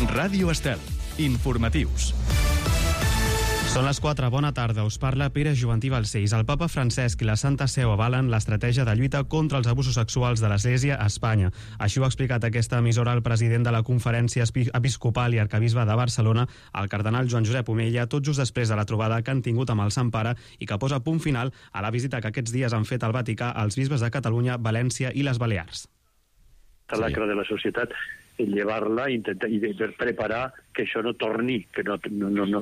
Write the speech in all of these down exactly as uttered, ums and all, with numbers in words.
Ràdio Estel. Informatius. Són les quatre, bona tarda, us parla Pere Juvantí Balcells. El papa Francesc i la Santa Seu avalen l'estratègia de lluita contra els abusos sexuals de l'Església a Espanya. Així ho ha explicat aquesta emissora el president de la Conferència Episcopal i Arquebisbe de Barcelona, el cardenal Joan Josep Omella, tot just després de la trobada que han tingut amb el Sant Pare i que posa punt final a la visita que aquests dies han fet al Vaticà els bisbes de Catalunya, València i les Balears. La lacra de la societat, llevar-la intentar, i preparar que això no torni, que no, no, no,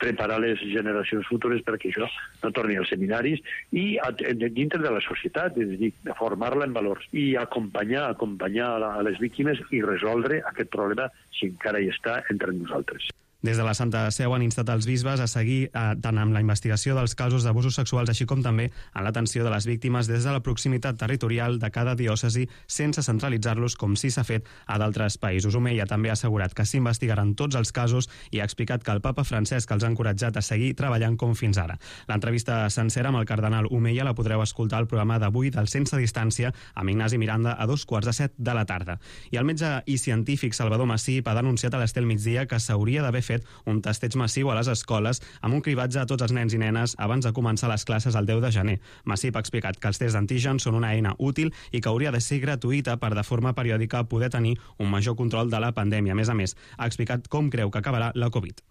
preparar les generacions futures perquè això no torni als seminaris i a, dintre de la societat, és a dir, formar-la en valors i acompanyar, acompanyar a les víctimes i resoldre aquest problema si encara hi està entre nosaltres. Des de la Santa Seu han instat els bisbes a seguir eh, tant amb la investigació dels casos d'abusos sexuals així com també en l'atenció de les víctimes des de la proximitat territorial de cada diòcesi sense centralitzar-los com sí s'ha fet a d'altres països. Omella també ha assegurat que s'investigaran tots els casos i ha explicat que el papa Francesc els ha encoratjat a seguir treballant com fins ara. L'entrevista sencera amb el cardenal Omella la podreu escoltar al programa d'avui del Sense Distància amb Ignasi Miranda a dos quarts de set de la tarda. I el metge i científic Salvador Massip ha denunciat a l'Estel Migdia que s'hauria d'haver fet un testeig massiu a les escoles amb un cribatge a tots els nens i nenes abans de començar les classes el deu de gener. Massip ha explicat que els tests d'antígens són una eina útil i que hauria de ser gratuïta per de forma periòdica poder tenir un major control de la pandèmia. A més a més, ha explicat com creu que acabarà la Covid.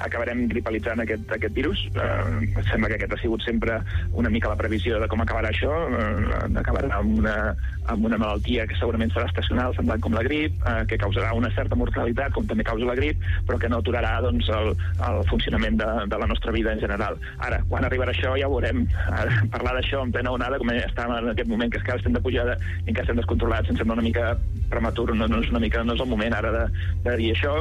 Acabarem gripalitzant aquest, aquest virus. Eh, sembla que aquest ha sigut sempre una mica la previsió de com acabarà això. Eh, acabarà amb una, amb una malaltia que segurament serà estacional, semblant com la grip, eh, que causarà una certa mortalitat, com també causa la grip, però que no aturarà doncs, el, el funcionament de, de la nostra vida en general. Ara, quan arribarà això ja ho veurem. Ara, parlar d'això en plena onada, com estàvem en aquest moment que encara estem de pujada i encara estem descontrolats, em sembla una mica prematur, no, no, és una mica, no és el moment ara de, de dir això.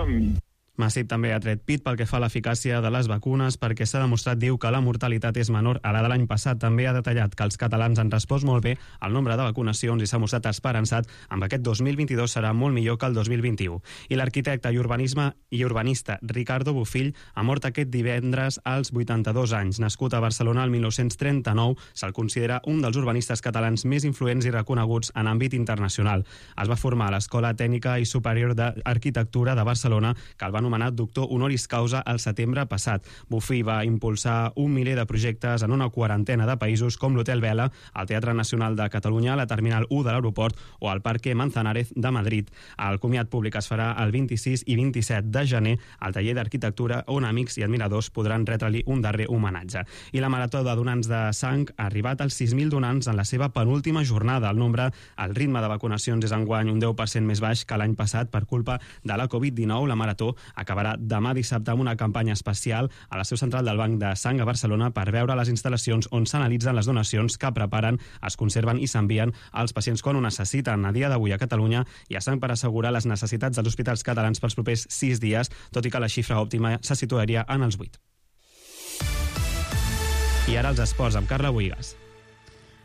Massip també ha tret pit pel que fa a l'eficàcia de les vacunes perquè s'ha demostrat, diu, que la mortalitat és menor a la de l'any passat. També ha detallat que els catalans han respost molt bé al nombre de vacunacions i s'ha mostrat esperançat amb aquest dos mil vint-i-dos serà molt millor que el dos mil vint-i-u. I l'arquitecte i urbanisme i urbanista Ricardo Bofill ha mort aquest divendres als vuitanta-dos anys. Nascut a Barcelona el mil nou-cents trenta-nou, se'l considera un dels urbanistes catalans més influents i reconeguts en àmbit internacional. Es va formar a l'Escola Tècnica i Superior d'Arquitectura de Barcelona, que el va anomenat doctor honoris causa al setembre passat. Bofill va impulsar un miler de projectes en una quarantena de països com l'Hotel Vela, el Teatre Nacional de Catalunya, la Terminal u de l'aeroport o el Parque Manzanares de Madrid. El comiat públic es farà el vint-i-sis i vint-i-set de gener al taller d'arquitectura on amics i admiradors podran retre-li un darrer homenatge. I la marató de donants de sang ha arribat als sis mil donants en la seva penúltima jornada. El nombre, el ritme de vacunacions és enguany un deu per cent més baix que l'any passat per culpa de la covid dinou. La marató acabarà demà dissabte amb una campanya especial a la seu central del Banc de Sang a Barcelona per veure les instal·lacions on s'analitzen les donacions que preparen, es conserven i s'envien als pacients quan ho necessiten. A dia d'avui a Catalunya hi ha sang per assegurar les necessitats dels hospitals catalans pels propers sis dies, tot i que la xifra òptima se situaria en els vuit. I ara els esports amb Carla Boigas.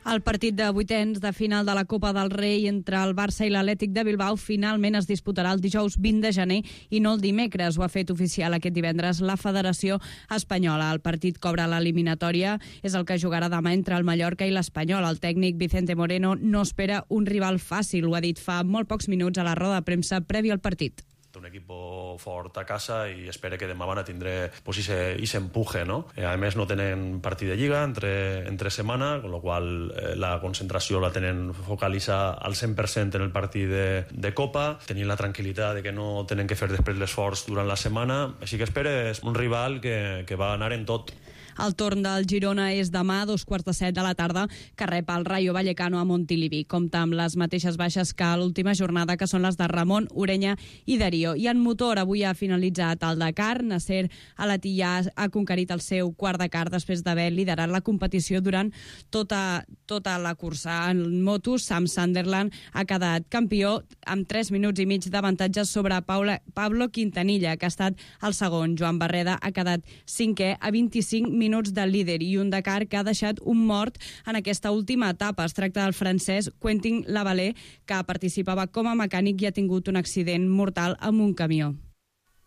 El partit de vuitens de final de la Copa del Rei entre el Barça i l'Atlètic de Bilbao finalment es disputarà el dijous vint de gener i no el dimecres. Ho ha fet oficial aquest divendres la Federació Espanyola. El partit cobra l'eliminatòria, és el que jugarà demà entre el Mallorca i l'Espanyol. El tècnic Vicente Moreno no espera un rival fàcil, ho ha dit fa molt pocs minuts a la roda de premsa prèvia al partit. Un equipo fort a casa i espero que demà van a tindre pues, ese, ese empuje, ¿no? Eh, a més no tenen partit de lliga entre, entre setmana, con lo qual eh, la concentració la tenen focalitzada al cent per cent en el partit de, de Copa, tenint la tranquil·litat de que no tenen que fer després l'esforç durant la setmana, així que espero és un rival que, que va anar en tot. El torn del Girona és demà a dos quarts de set de la tarda, que rep el Rayo Vallecano a Montilivi. Compta amb les mateixes baixes que a l'última jornada, que són les de Ramon, Ureña i Darío. I en motor avui ha finalitzat el Dakar. Nasser Al-Attiyah ha conquerit el seu quart Dakar després d'haver liderat la competició durant tota, tota la cursa. En motos, Sam Sunderland ha quedat campió amb tres minuts i mig d'avantatge sobre Paula, Pablo Quintanilla, que ha estat el segon. Joan Barreda ha quedat cinquè a vint-i-cinc minuts minuts de líder i un Dakar que ha deixat un mort en aquesta última etapa. Es tracta del francès Quentin Lavalée, que participava com a mecànic i ha tingut un accident mortal amb un camió.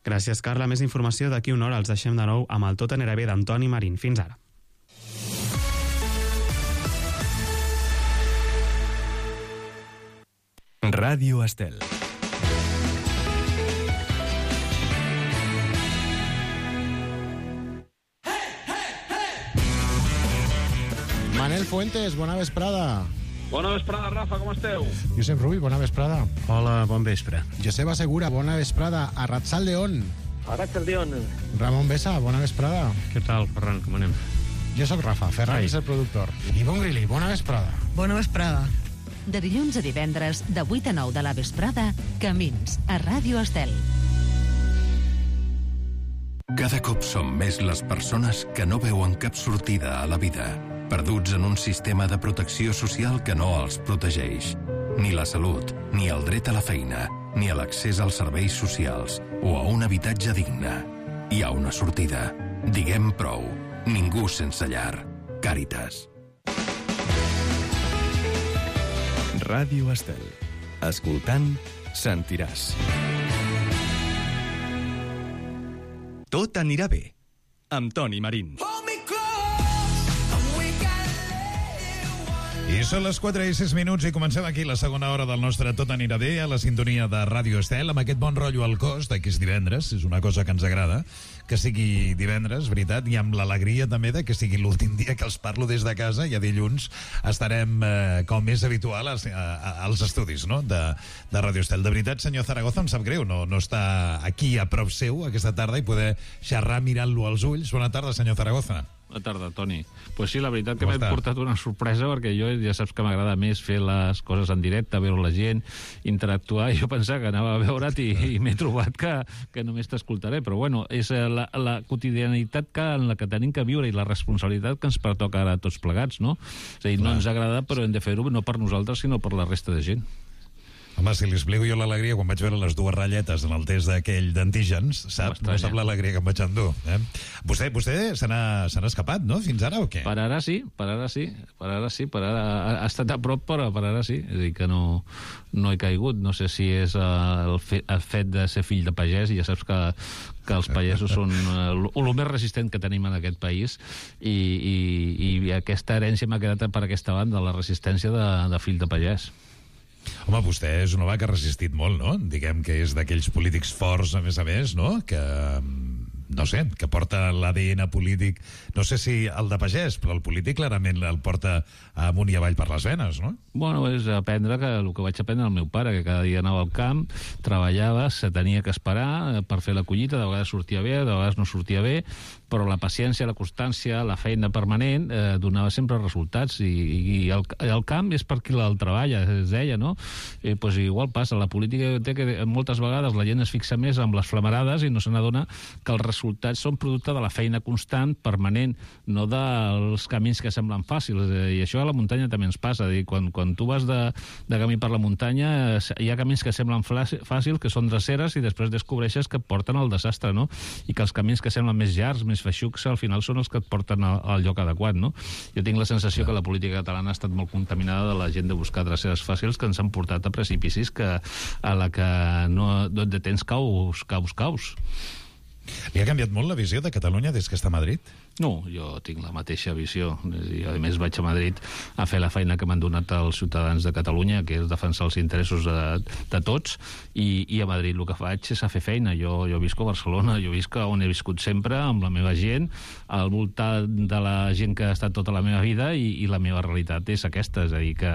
Gràcies, Carla. Més informació d'aquí una hora. Els deixem de nou amb el Tot anirà bé d'Antoni Marín. Fins ara. Ràdio Estel. Manel Fuentes, bona vesprada. Bona vesprada, Rafa, com esteu? Josep Rull, bona vesprada. Hola, bon vespre. Joseba Segura, bona vesprada. Arratsaldeon. Arratsaldeon. Ramon Besa, bona vesprada. Què tal, Ferran, com anem? Jo sóc Rafa, Ferran és el productor. I Bon Grilli, bona vesprada. Bona vesprada. De dilluns a divendres, de vuit a nou de la vesprada, Camins, a Ràdio Estel. Cada cop som més les persones que no veuen cap sortida a la vida, perduts en un sistema de protecció social que no els protegeix. Ni la salut, ni el dret a la feina, ni a l'accés als serveis socials o a un habitatge digne. Hi ha una sortida. Diguem prou. Ningú sense llar. Càritas. Ràdio Estel. Escoltant, sentiràs. Tot anirà bé, amb Toni Marín. I són les quatre i sis minuts i comencem aquí la segona hora del nostre Tot anirà bé a la sintonia de Ràdio Estel, amb aquest bon rotllo al cos de que és divendres, és una cosa que ens agrada, que sigui divendres, veritat, i amb l'alegria també de que sigui l'últim dia que els parlo des de casa i a dilluns estarem, eh, com és habitual, als, a, als estudis, no?, de, de Ràdio Estel. De veritat, senyor Zaragoza, em sap greu no, no està aquí a prop seu aquesta tarda i poder xerrar mirant-lo als ulls. Bona tarda, senyor Zaragoza. Bona tarda, Toni. Pues sí, la veritat que m'he portat una sorpresa, perquè jo ja saps que m'agrada més fer les coses en directe, veure la gent, interactuar, i jo pensava que anava a veure't i, i m'he trobat que, que només t'escoltaré, però bueno, és la, la quotidianitat que, en la que tenim que viure i la responsabilitat que ens pertoca ara a tots plegats, no? És a dir, no ens agrada, però hem de fer-ho no per nosaltres, sinó per la resta de gent. Home, si li explico jo l'alegria quan vaig veure les dues ratlletes en el test d'aquell d'antígens, sap? No sap l'alegria que em vaig endur. Eh? Vostè, vostè se n'ha escapat, no?, fins ara, o què? Per ara sí, per ara sí, per ara sí, per ara ha, ha estat a prop, però per ara sí. És a dir, que no, no he caigut. No sé si és el, fe, el fet de ser fill de pagès, i ja saps que, que els pagesos són el, el més resistent que tenim en aquest país, i, i, i aquesta herència m'ha quedat per aquesta banda, la resistència de, de fill de pagès. Home, vostè és un home que ha resistit molt, no? Diguem que és d'aquells polítics forts, a més a més, no? Que, no sé, que porta l'A D N polític, no sé si el de pagès, però el polític clarament el porta amunt i avall per les venes, no? Bueno, és aprendre que, el que vaig aprendre el meu pare, que cada dia anava al camp, treballava, se tenia que esperar per fer la collita, de vegades sortia bé, de vegades no sortia bé, però la paciència, la constància, la feina permanent eh, donava sempre resultats, i, i el, el camp és per qui el treballa, es deia, no? Eh, pues igual passa, la política té que moltes vegades la gent es fixa més amb les flamarades i no se n'adona que els resultats són producte de la feina constant, permanent, no dels camins que semblen fàcils, eh, i això a la muntanya també ens passa, dir, quan, quan tu vas de, de camí per la muntanya eh, hi ha camins que semblen fàcils, que són dreceres, i després descobreixes que porten al desastre, no? I que els camins que semblen més llargs, més feixucs, al final són els que et porten al, al lloc adequat, no? Jo tinc la sensació que la política catalana ha estat molt contaminada de la gent de buscar dreceres fàcils que ens han portat a precipicis que a la que no, no et detens caus, caus, caus. Li ha canviat molt la visió de Catalunya des que està a Madrid? No, jo tinc la mateixa visió. I, a més, vaig a Madrid a fer la feina que m'han donat els ciutadans de Catalunya, que és defensar els interessos de, de tots, i, i a Madrid el que faig és a fer feina. Jo, jo visco a Barcelona, jo visc on he viscut sempre, amb la meva gent, al voltant de la gent que ha estat tota la meva vida, i, i la meva realitat és aquesta, és a dir, que,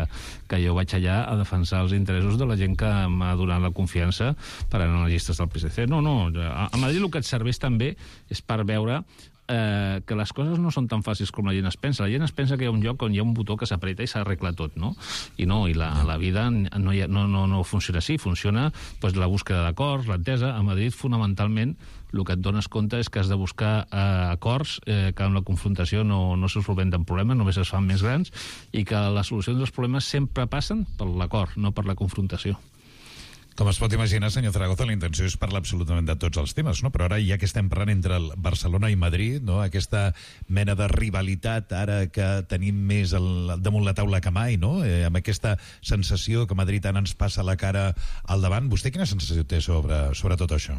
que jo vaig allà a defensar els interessos de la gent que m'ha donat la confiança per anar a les llistes del P S C. No, no, a, a Madrid el que et serveix també és per veure Eh, que les coses no són tan fàcils com la gent es pensa. La gent es pensa que hi ha un lloc on hi ha un botó que s'apreta i s'arregla tot, no? I no, i la, la vida no, ha, no, no, no funciona així, funciona pues, la búsqueda d'acords, l'entesa. A Madrid, fonamentalment, el que et dones compte és que has de buscar eh, acords, eh, que amb la confrontació no, no se solventen problemes, només es fan més grans, i que les solucions dels problemes sempre passen per l'acord, no per la confrontació. Com es pot imaginar, senyor Zaragoza, la intenció és parlar absolutament de tots els temes, no? Però ara, ja que estem parlant entre el Barcelona i Madrid, no? Aquesta mena de rivalitat ara que tenim més el, damunt la taula que mai, no? Eh, amb aquesta sensació que Madrid ara ens passa la cara al davant. Vostè quina sensació té sobre, sobre tot això?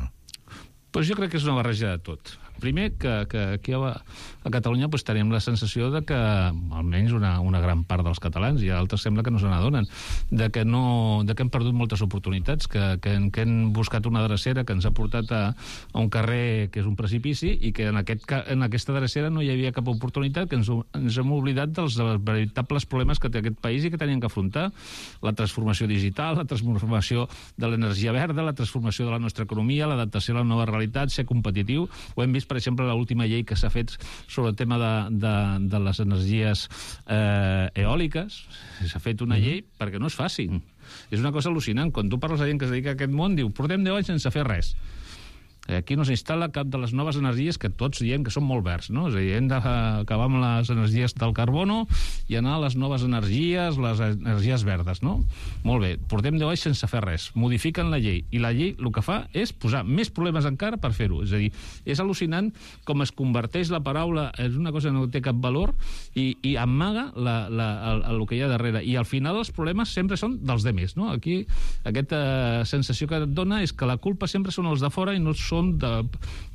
Pues jo crec que és una barreja de tot. Primer, que, que aquí a, a Catalunya pues, tenim la sensació de que, almenys una, una gran part dels catalans, i altres sembla que no se n'adonen, de, que no, de que hem perdut moltes oportunitats, que, que, que hem buscat una drecera que ens ha portat a, a un carrer que és un precipici i que en, aquest, en aquesta drecera no hi havia cap oportunitat, que ens, ens hem oblidat dels, dels veritables problemes que té aquest país i que teníem que afrontar. La transformació digital, la transformació de l'energia verda, la transformació de la nostra economia, l'adaptació a la nova realitat, ser competitiu. Ho hem vist, per exemple, l'última llei que s'ha fet sobre el tema de, de, de les energies eh, eòliques. S'ha fet una llei perquè no és fàcil. És una cosa al·lucinant. Quan tu parles a gent que es dedica a aquest món, diu, portem deu anys sense fer res. Aquí no s'instal·la cap de les noves energies que tots diem que són molt verds, no? És a dir, hem d'acabar amb les energies del carbono i anar a les noves energies, les energies verdes, no? Molt bé, portem deu anys sense fer res. Modifiquen la llei, i la llei el que fa és posar més problemes encara per fer-ho. És a dir, és al·lucinant com es converteix la paraula en una cosa que no té cap valor i, i amaga la, la, el, el que hi ha darrere. I al final els problemes sempre són dels demés, no? Aquí aquesta sensació que et dona és que la culpa sempre són els de fora i no són de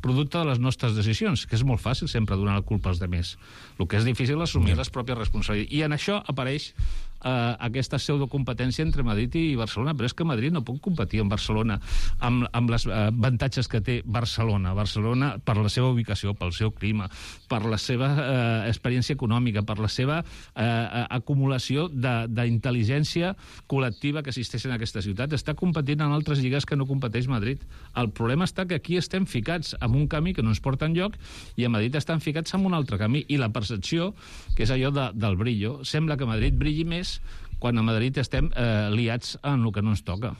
producte de les nostres decisions, que és molt fàcil sempre donar la culpa als demés. El que és difícil és assumir les pròpies responsabilitats. I en això apareix eh, aquesta pseudocompetència entre Madrid i Barcelona, però és que Madrid no pot competir amb Barcelona amb, amb les eh, avantatges que té Barcelona. Barcelona, per la seva ubicació, pel seu clima, per la seva eh, experiència econòmica, per la seva eh, acumulació d'intel·ligència col·lectiva que existeix en aquesta ciutat, està competint en altres lligues que no competeix Madrid. El problema està que aquí estem ficats en un camí que no ens porta enlloc i a Madrid estan ficats en un altre camí, i la percepció, que és allò de, del brillo, sembla que Madrid brilli més quan a Madrid estem eh, liats en el que no ens toca.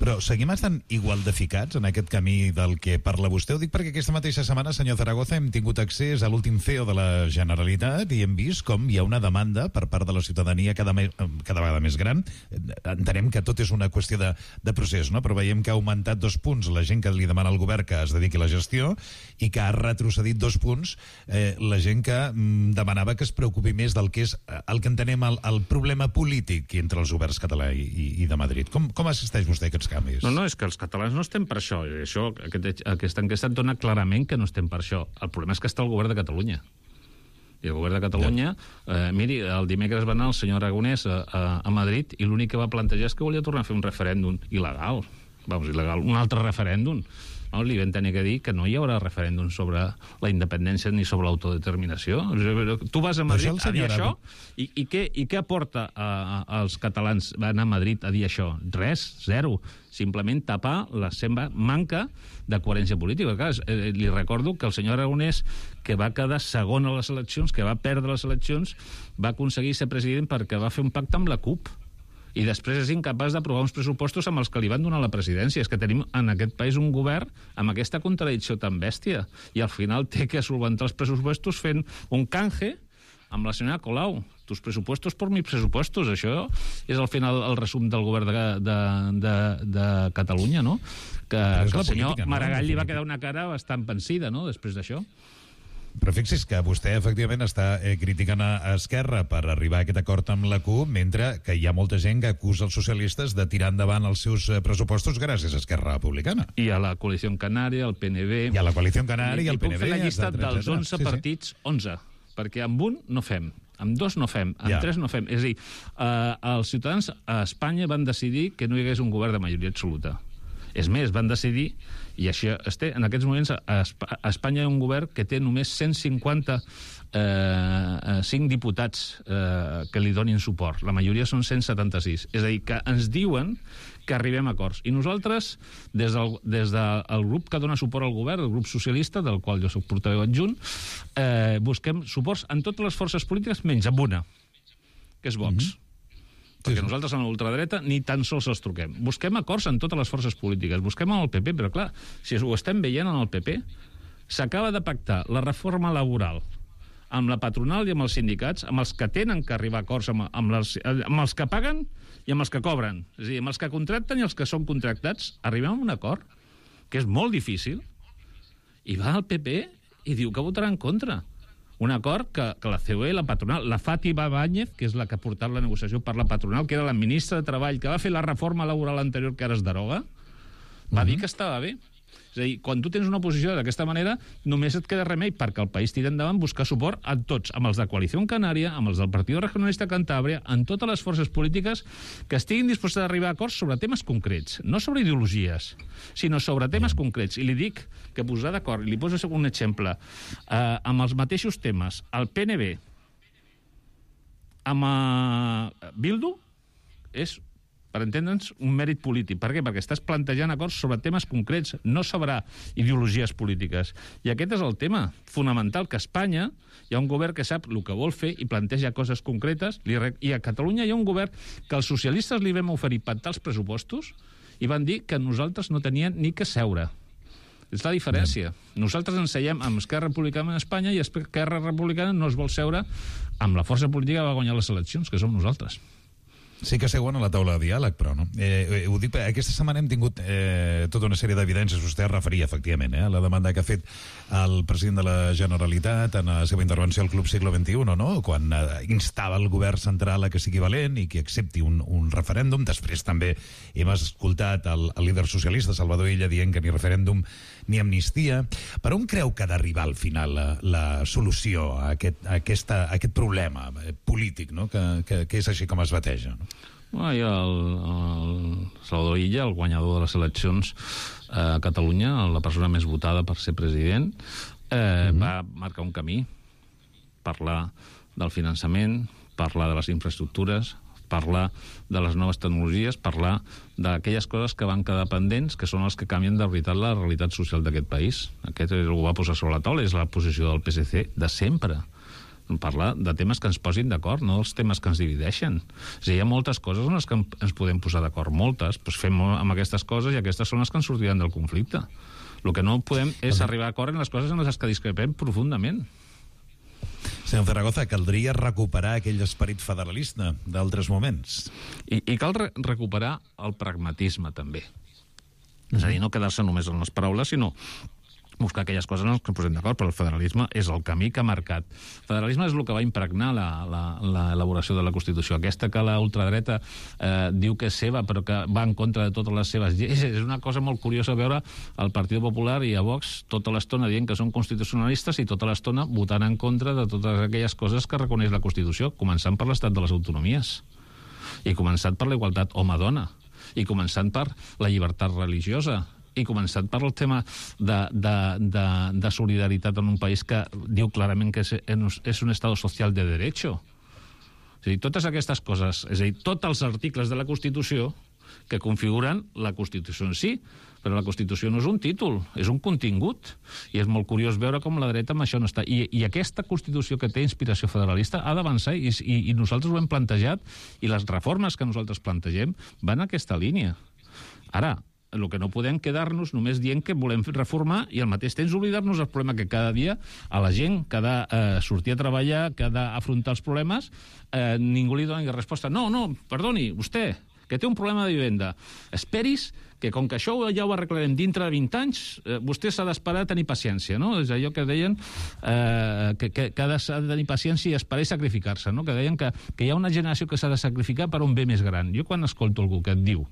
Però seguim estant igual de ficats en aquest camí del que parla vostè? Ho dic perquè aquesta mateixa setmana, senyor Zaragoza, hem tingut accés a l'últim C E O de la Generalitat i hem vist com hi ha una demanda per part de la ciutadania cada, me, cada vegada més gran. Entenem que tot és una qüestió de, de procés, no? Però veiem que ha augmentat dos punts la gent que li demana al govern que es dediqui a la gestió i que ha retrocedit dos punts eh, la gent que mm, demanava que es preocupi més del que és el que entenem el, el problema polític entre els governs català i, i, i de Madrid. Com, com assisteix vostè a aquests canvis? No, no, és que els catalans no estem per això. això aquest, aquesta enquesta et dona clarament que no estem per això. El problema és que està el govern de Catalunya. I el govern de Catalunya, eh, miri, el dimecres va anar el senyor Aragonès a, a, a Madrid i l'únic que va plantejar és que volia tornar a fer un referèndum il·legal. Vamos, il·legal, un altre referèndum. No, li vam tenir que dir que no hi haurà referèndum sobre la independència ni sobre l'autodeterminació. Tu vas a Madrid a dir això i, i, què, i què aporta a, a, als catalans anar a Madrid a dir això? Res, zero. Simplement tapar la seva manca de coherència política. Clar, eh, li recordo que el senyor Aragonès, que va quedar segon a les eleccions, que va perdre les eleccions, va aconseguir ser president perquè va fer un pacte amb la CUP. I després és incapaç d'aprovar uns pressupostos amb els que li van donar la presidència. És que tenim en aquest país un govern amb aquesta contradicció tan bèstia. I al final té que solventar els pressupostos fent un canje amb la senyora Colau. Tus presupuestos por mis presupuestos. Això és al final el resum del govern de, de, de, de Catalunya, no? Que, que el senyor política, Maragall no? Li va quedar una cara bastant pensida, no?, després d'això. Però fixi's que vostè efectivament està eh, criticant a Esquerra per arribar a aquest acord amb la CUP, mentre que hi ha molta gent que acusa els socialistes de tirar endavant els seus pressupostos gràcies a Esquerra Republicana. I a la Coalició Canària, al P N B... I a la Coalició Canària i al P N B... I puc fer la llista dels onze sí, partits, sí. onze, perquè amb un no fem, amb dos no fem, amb ja. tres no fem. És a dir, eh, els ciutadans a Espanya van decidir que no hi hagués un govern de majoria absoluta. És més, van decidir, i això es té, en aquests moments a Espanya hi ha un govern que té només cent cinquanta-cinc eh, diputats eh, que li donin suport. La majoria són cent setanta-sis. És a dir, que ens diuen que arribem a acords. I nosaltres, des del, des del grup que dona suport al govern, el grup socialista, del qual jo soc portaveu adjunt, eh, busquem suports en totes les forces polítiques, menys en una, que és Vox. Mm-hmm. Perquè sí, sí. Nosaltres en l'ultradreta ni tan sols els truquem. Busquem acords en totes les forces polítiques, busquem en el P P, però clar, si ho estem veient en el P P, s'acaba de pactar la reforma laboral amb la patronal i amb els sindicats, amb els que tenen que arribar a acords, amb, amb, les, amb els que paguen i amb els que cobren. És a dir, amb els que contracten i els que són contractats, arribem a un acord, que és molt difícil, i va al P P i diu que votarà en contra. Un acord que, que la C O E, la patronal, la Fátima Báñez, que és la que ha portat la negociació per la patronal, que era la ministra de Treball, que va fer la reforma laboral anterior que ara es deroga, va uh-huh. dir que estava bé. És a dir, quan tu tens una oposició d'aquesta manera, només et queda remei perquè el país tira endavant buscar suport a tots, amb els de Coalició Canària, amb els del Partit Regionalista Cantàbria, en totes les forces polítiques que estiguin disposades a arribar a acords sobre temes concrets, no sobre ideologies, sinó sobre temes concrets. I li dic que posar d'acord, i li poso un exemple, eh, amb els mateixos temes, el P N B amb eh, Bildu és, per entendre'ns, un mèrit polític. Per què? Perquè estàs plantejant acords sobre temes concrets, no sobre ideologies polítiques. I aquest és el tema fonamental, que a Espanya hi ha un govern que sap el que vol fer i planteja coses concretes, i a Catalunya hi ha un govern que els socialistes li vam oferir pactar els pressupostos i van dir que nosaltres no tenien ni que seure. És la diferència. Nosaltres ens seiem amb Esquerra Republicana en Espanya i Esquerra Republicana no es vol seure amb la força política que va guanyar les eleccions, que som nosaltres. Sí que seuen a la taula de diàleg, però no. Eh, ho dic, aquesta setmana hem tingut eh, tota una sèrie d'evidències, vostè es referia, efectivament, eh, a la demanda que ha fet el president de la Generalitat en la seva intervenció al Club Siglo veintiuno, no? Quan eh, instava el govern central a que sigui valent i que accepti un, un referèndum. Després també hem escoltat el, el líder socialista, Salvador Illa, dient que ni referèndum ni amnistia. Per on creu que ha d'arribar al final la, la solució a aquest, a aquesta, a aquest problema polític, no? que, que, que és així com es bateja, no? Bueno, hi ha el, el Salvador Illa, el guanyador de les eleccions a Catalunya, la persona més votada per ser president, eh, mm-hmm. va marcar un camí, parlar del finançament, parlar de les infraestructures, parlar de les noves tecnologies, parlar d'aquelles coses que van quedar pendents, que són els que canvien de veritat la realitat social d'aquest país. Aquest ho va posar sobre la taula, és la posició del P S C de sempre. Parlar de temes que ens posin d'acord, no dels temes que ens divideixen. És a dir, hi ha moltes coses en les que ens podem posar d'acord, moltes, doncs fem amb aquestes coses i aquestes són les que ens sortiran del conflicte. El que no podem és arribar a acord en les coses en les que discrepem profundament. Senyor Zaragoza, caldria recuperar aquell esperit federalista d'altres moments. I, i cal re recuperar el pragmatisme, també. Mm-hmm. És a dir, no quedar-se només en les paraules, sinó buscar aquelles coses en les que posem d'acord, però el federalisme és el camí que ha marcat. El federalisme és el que va impregnar l'elaboració de la Constitució. Aquesta que la ultradreta eh, diu que és seva, però que va en contra de totes les seves lleis. És una cosa molt curiosa veure el Partit Popular i a Vox tota l'estona dient que són constitucionalistes i tota l'estona votant en contra de totes aquelles coses que reconeix la Constitució, començant per l'estat de les autonomies, i començant per la igualtat home-dona, i començant per la llibertat religiosa, i començant per el tema de, de, de, de solidaritat en un país que diu clarament que és, és un estat social de derecho. És a dir, totes aquestes coses, és a dir, tots els articles de la Constitució que configuren la Constitució en si, però la Constitució no és un títol, és un contingut, i és molt curiós veure com la dreta amb això no està. I, i aquesta Constitució que té inspiració federalista ha d'avançar, i, i, i nosaltres ho hem plantejat, i les reformes que nosaltres plantegem van en aquesta línia. Ara, el que no podem quedar-nos només dient que volem reformar i al mateix temps oblidar-nos del problema que cada dia a la gent que ha de eh, sortir a treballar, que ha d'afrontar els problemes, eh, ningú li dona resposta. No, no, perdoni, vostè, que té un problema de vivenda, esperis que com que això ja ho arreglarem dintre de vint anys, eh, vostè s'ha d'esperar a tenir paciència, no? És allò que deien eh, que, que, que ha de tenir paciència i esperar i sacrificar-se, no? Que deien que, que hi ha una generació que s'ha de sacrificar per un bé més gran. Jo quan escolto algú que et diu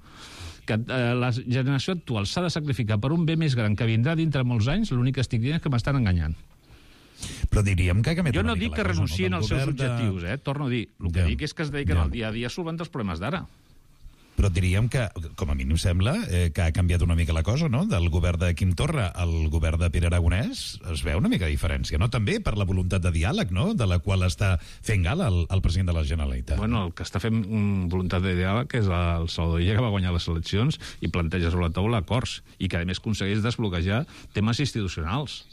que eh, la generació actual s'ha de sacrificar per un bé més gran que vindrà dintre molts anys, l'únic que estic dient és que m'estan enganyant. Però diríem que ha canviat jo una no mica dic que la cosa, renuncien no? als seus de... objectius, eh? Torno a dir. El que ja. dic és que es dediquen ja. al dia a dia a solventar els problemes d'ara. Però diríem que, com a mínim sembla, eh, que ha canviat una mica la cosa, no? Del govern de Quim Torra al govern de Pere Aragonès es veu una mica de diferència, no? També per la voluntat de diàleg, no? De la qual està fent gala el, el president de la Generalitat. Bueno, el que està fent mm, voluntat de diàleg és el Salvador Illa, que va guanyar les eleccions i planteja sobre la taula acords i que, a més, aconsegueix desbloquejar temes institucionals.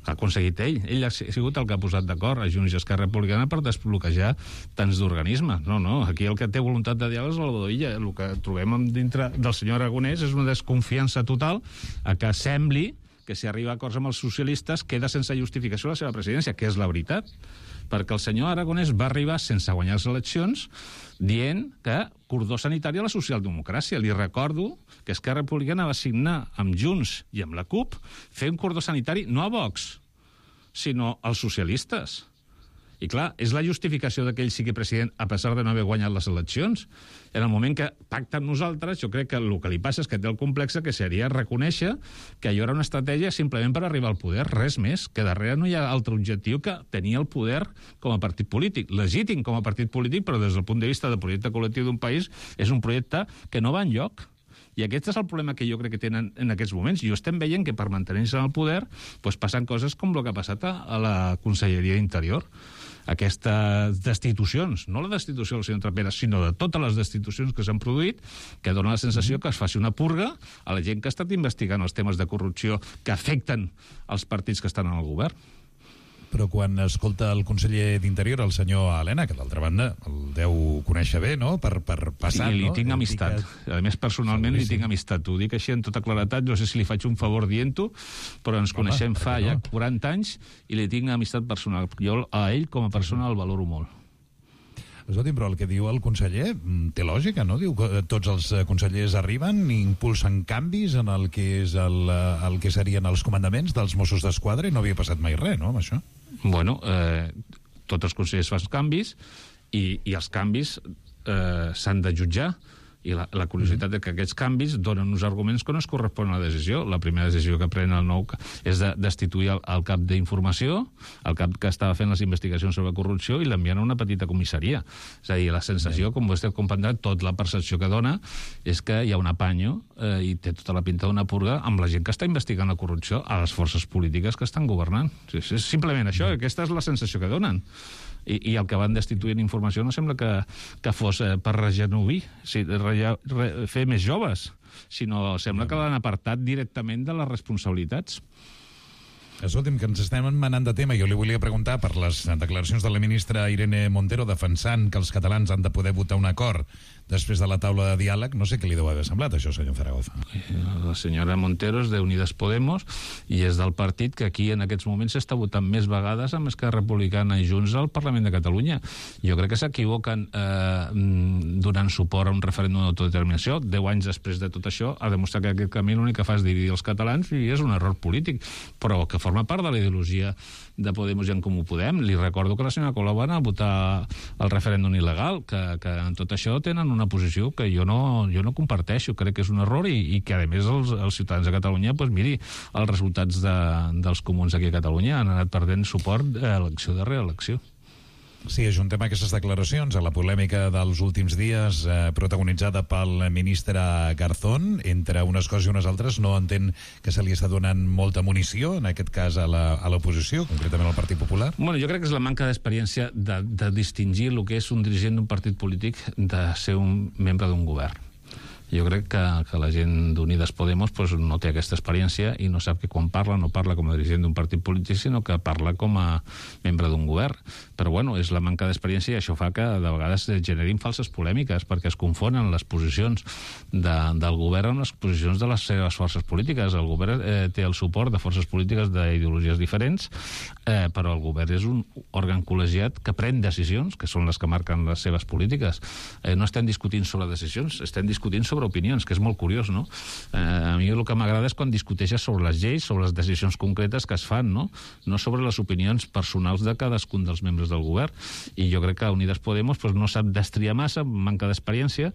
Ha aconseguit ell. Ell ha sigut el que ha posat d'acord a Junts i Esquerra Republicana per desbloquejar tants d'organismes. No, no, aquí el que té voluntat de diàleg és Salvador Illa. El que trobem dintre del senyor Aragonès és una desconfiança total a que sembli que si arriba a acords amb els socialistes queda sense justificació la seva presidència, que és la veritat. Perquè el senyor Aragonès va arribar sense guanyar les eleccions dient que cordó sanitari a la socialdemocràcia. Li recordo que Esquerra Republicana va signar amb Junts i amb la CUP fer un cordó sanitari no a Vox, sinó als socialistes. I clar, és la justificació que ell sigui president a pesar de no haver guanyat les eleccions. En el moment que pacta amb nosaltres, jo crec que el que li passa és que té el complex que seria reconèixer que allò era una estratègia simplement per arribar al poder, res més, que darrere no hi ha altre objectiu que tenir el poder com a partit polític, legítim com a partit polític, però des del punt de vista del projecte col·lectiu d'un país és un projecte que no va enlloc. I aquest és el problema que jo crec que tenen en aquests moments. I ho estem veient que per mantenir-se en el poder doncs passen coses com el que ha passat a la Conselleria d'Interior. Aquestes destitucions, no la destitució del senyor Trapera, sinó de totes les destitucions que s'han produït, que dona la sensació que es faci una purga a la gent que ha estat investigant els temes de corrupció que afecten els partits que estan en el govern. Però quan escolta el conseller d'Interior, el senyor Elena, que d'altra banda el deu conèixer bé, no?, per, per passar... Sí, li no? tinc amistat. Que... A més, personalment li tinc amistat. Ho dic així en tota claretat, no sé si li faig un favor dient-ho, però ens Home, coneixem fa no? ja quaranta anys i li tinc amistat personal. Jo a ell, com a persona, el valoro molt. Escolti'm, però el que diu el conseller té lògica, no? Diu que tots els consellers arriben i impulsen canvis en el que és el, el que serien els comandaments dels Mossos d'Esquadra i no havia passat mai res, no?, amb això. Bueno, eh, tots els consellers fan canvis i, i els canvis eh, s'han de jutjar. I la, la curiositat és que aquests canvis donen uns arguments que no es corresponen a la decisió. La primera decisió que pren el nou és de destituir el, el cap d'informació, el cap que estava fent les investigacions sobre corrupció, i l'enviant a una petita comissaria. És a dir, la sensació, com vostè ha comprendrà, tota la percepció que dona és que hi ha un apanyo eh, i té tota la pinta d'una purga amb la gent que està investigant la corrupció a les forces polítiques que estan governant. Sí, és simplement això, aquesta és la sensació que donen. I, i el que van destituint informació no sembla que, que fos eh, per regenovir, sí, re, re, fer més joves, sinó sembla que l'han apartat directament de les responsabilitats. Escolti'm, que ens estem manant de tema. Jo li volia preguntar per les declaracions de la ministra Irene Montero defensant que els catalans han de poder votar un acord després de la taula de diàleg. No sé què li deu haver semblat, això, senyor Zaragoza. La senyora Montero és d'Unides Podemos i és del partit que aquí en aquests moments s'està votant més vegades amb Esquerra Republicana i Junts al Parlament de Catalunya. Jo crec que s'equivoquen eh, donant suport a un referèndum d'autodeterminació. Deu anys després de tot això ha demostrat que aquest camí l'únic que fa és dividir els catalans i és un error polític, però que forma part de la ideologia de Podemos i en Comú Podem. Li recordo que la senyora Colau va anar a votar el referèndum il·legal, que, que en tot això tenen una posició que jo no, jo no comparteixo, crec que és un error i, i que a més els, els ciutadans de Catalunya, doncs miri, els resultats de, dels comuns aquí a Catalunya han anat perdent suport a elecció de reelecció. Sí, ajuntem aquestes declaracions a la polèmica dels últims dies eh, protagonitzada pel ministre Garzón. Entre unes coses i unes altres no entén que se li està donant molta munició, en aquest cas a l'oposició, concretament al Partit Popular. Bueno, jo crec que és la manca d'experiència de, de distingir el que és un dirigent d'un partit polític de ser un membre d'un govern. Jo crec que, que la gent d'Unides Podemos pues, no té aquesta experiència i no sap que quan parla no parla com a dirigent d'un partit polític, sinó que parla com a membre d'un govern. Però bueno, és la manca d'experiència i això fa que de vegades generin falses polèmiques perquè es confonen les posicions de, del govern amb les posicions de les seves forces polítiques. El govern eh, té el suport de forces polítiques d'ideologies diferents, eh, però el govern és un òrgan col·legiat que pren decisions, que són les que marquen les seves polítiques. Eh, no estem discutint sobre decisions, estem discutint sobre opinions, que és molt curiós, no? Eh, a mi el que m'agrada és quan discuteixes sobre les lleis, sobre les decisions concretes que es fan, no? No sobre les opinions personals de cadascun dels membres del govern. I jo crec que Unides Podemos pues, no sap destriar massa, manca d'experiència,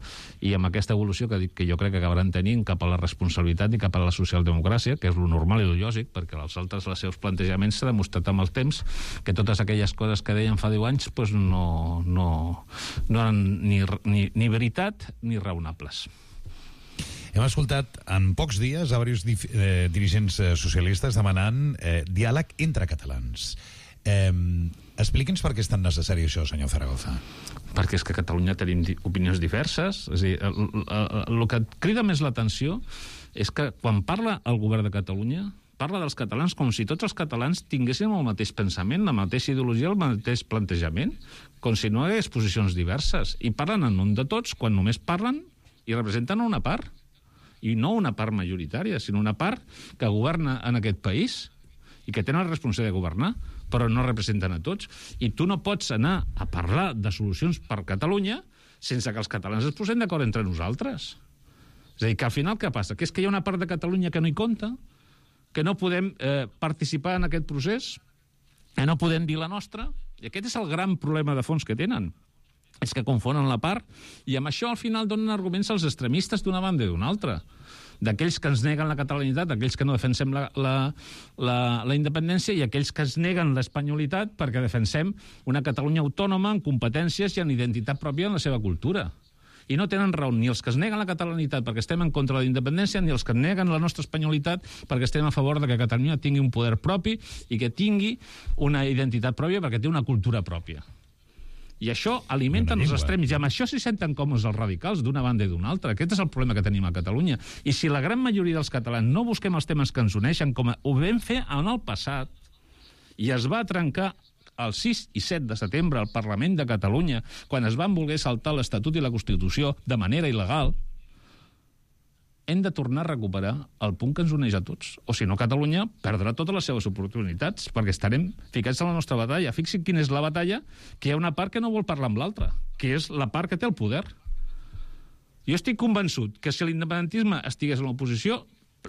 i amb aquesta evolució que, que jo crec que acabaran tenint cap a la responsabilitat i cap a la socialdemocràcia, que és lo normal i lo lògic, perquè els altres, els seus plantejaments s'ha demostrat amb el temps que totes aquelles coses que deien fa deu anys pues, no, no, no eren ni, ni, ni veritat ni raonables. Hem escoltat en pocs dies a diversos eh, dirigents eh, socialistes demanant eh, diàleg entre catalans. Eh, Expliqui'ns per què és tan necessari això, senyor Zaragoza. Perquè és que a Catalunya tenim opinions diverses. És a dir, el, el, el que crida més l'atenció és que quan parla el govern de Catalunya parla dels catalans com si tots els catalans tinguessin el mateix pensament, la mateixa ideologia, el mateix plantejament, com si no hi hagués posicions diverses. I parlen en nom de tots quan només parlen i representen una part. I no una part majoritària, sinó una part que governa en aquest país i que tenen la responsabilitat de governar, però no representen a tots. I tu no pots anar a parlar de solucions per Catalunya sense que els catalans es posem d'acord entre nosaltres. És a dir, que al final què passa? Que és que hi ha una part de Catalunya que no hi compta, que no podem eh, participar en aquest procés, que no podem dir la nostra. I aquest és el gran problema de fons que tenen. És que confonen la part i amb això al final donen arguments als extremistes d'una banda i d'una altra. D'aquells que ens neguen la catalanitat, d'aquells que no defensem la, la, la, la independència i aquells que ens neguen l'espanyolitat perquè defensem una Catalunya autònoma en competències i en identitat pròpia en la seva cultura. I no tenen raó ni els que es neguen la catalanitat perquè estem en contra de la independència ni els que neguen la nostra espanyolitat perquè estem a favor de que Catalunya tingui un poder propi i que tingui una identitat pròpia perquè té una cultura pròpia. I això alimenten els extrems. I amb això s'hi senten còmodes els radicals d'una banda i d'una altra. Aquest és el problema que tenim a Catalunya. I si la gran majoria dels catalans no busquem els temes que ens uneixen, com ho vam fer en el passat, i es va trencar el sis i set de setembre al Parlament de Catalunya, quan es van voler saltar l'Estatut i la Constitució de manera il·legal, hem de tornar a recuperar el punt que ens uneix a tots. O si no, Catalunya perdrà totes les seves oportunitats, perquè estarem ficats en la nostra batalla. Fixin quina és la batalla, que hi ha una part que no vol parlar amb l'altra, que és la part que té el poder. Jo estic convençut que si l'independentisme estigués en l'oposició,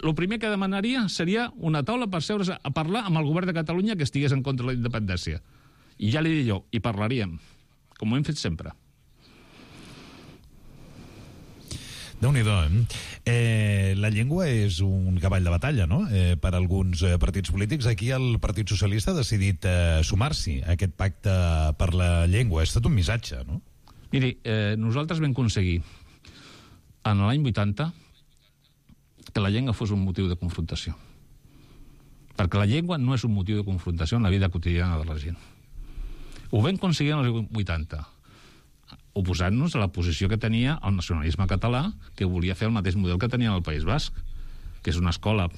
el primer que demanaria seria una taula per seure's a parlar amb el govern de Catalunya que estigués en contra de la independència. I ja li dic jo, hi parlaríem, com ho hem fet sempre. Déu-n'hi-do, eh? eh? La llengua és un cavall de batalla, no?, eh, per alguns eh, partits polítics. Aquí el Partit Socialista ha decidit eh, sumar-s'hi a aquest pacte per la llengua. És tot un missatge, no? Miri, eh, nosaltres vam aconseguir en l'any vuitanta que la llengua fos un motiu de confrontació. Perquè la llengua no és un motiu de confrontació en la vida quotidiana de la gent. Ho vam aconseguir en els vuitanta, oposant-nos a la posició que tenia el nacionalisme català, que volia fer el mateix model que tenia el País Basc, que és una escola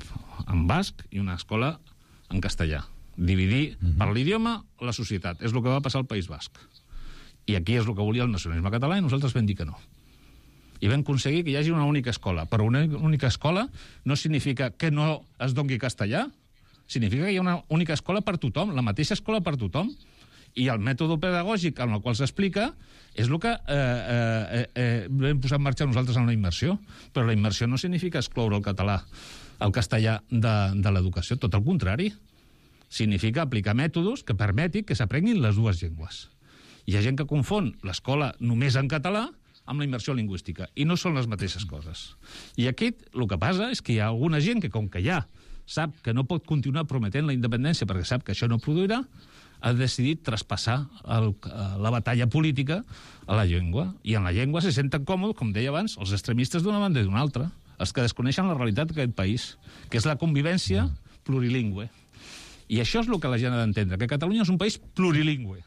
en basc i una escola en castellà. Dividir uh-huh. per l'idioma la societat. És el que va passar al País Basc. I aquí és el que volia el nacionalisme català i nosaltres vam dir que no. I vam aconseguir que hi hagi una única escola. Però una única escola no significa que no es doni castellà, significa que hi ha una única escola per tothom, la mateixa escola per tothom. I el mètode pedagògic en el qual s'explica és el que eh, eh, eh, vam posar en marxa nosaltres en la immersió. Però la immersió no significa excloure el català, el castellà de, de l'educació. Tot el contrari. Significa aplicar mètodes que permetin que s'aprenguin les dues llengües. Hi ha gent que confon l'escola només en català amb la immersió lingüística. I no són les mateixes coses. I aquí el que passa és que hi ha alguna gent que, com que ja sap que no pot continuar prometent la independència perquè sap que això no produirà, ha decidit traspassar el, la batalla política a la llengua. I en la llengua se senten còmodes, com deia abans, els extremistes d'una banda i d'una altra, els que desconeixen la realitat d'aquest país, que és la convivència plurilingüe. I això és el que la gent ha d'entendre, que Catalunya és un país plurilingüe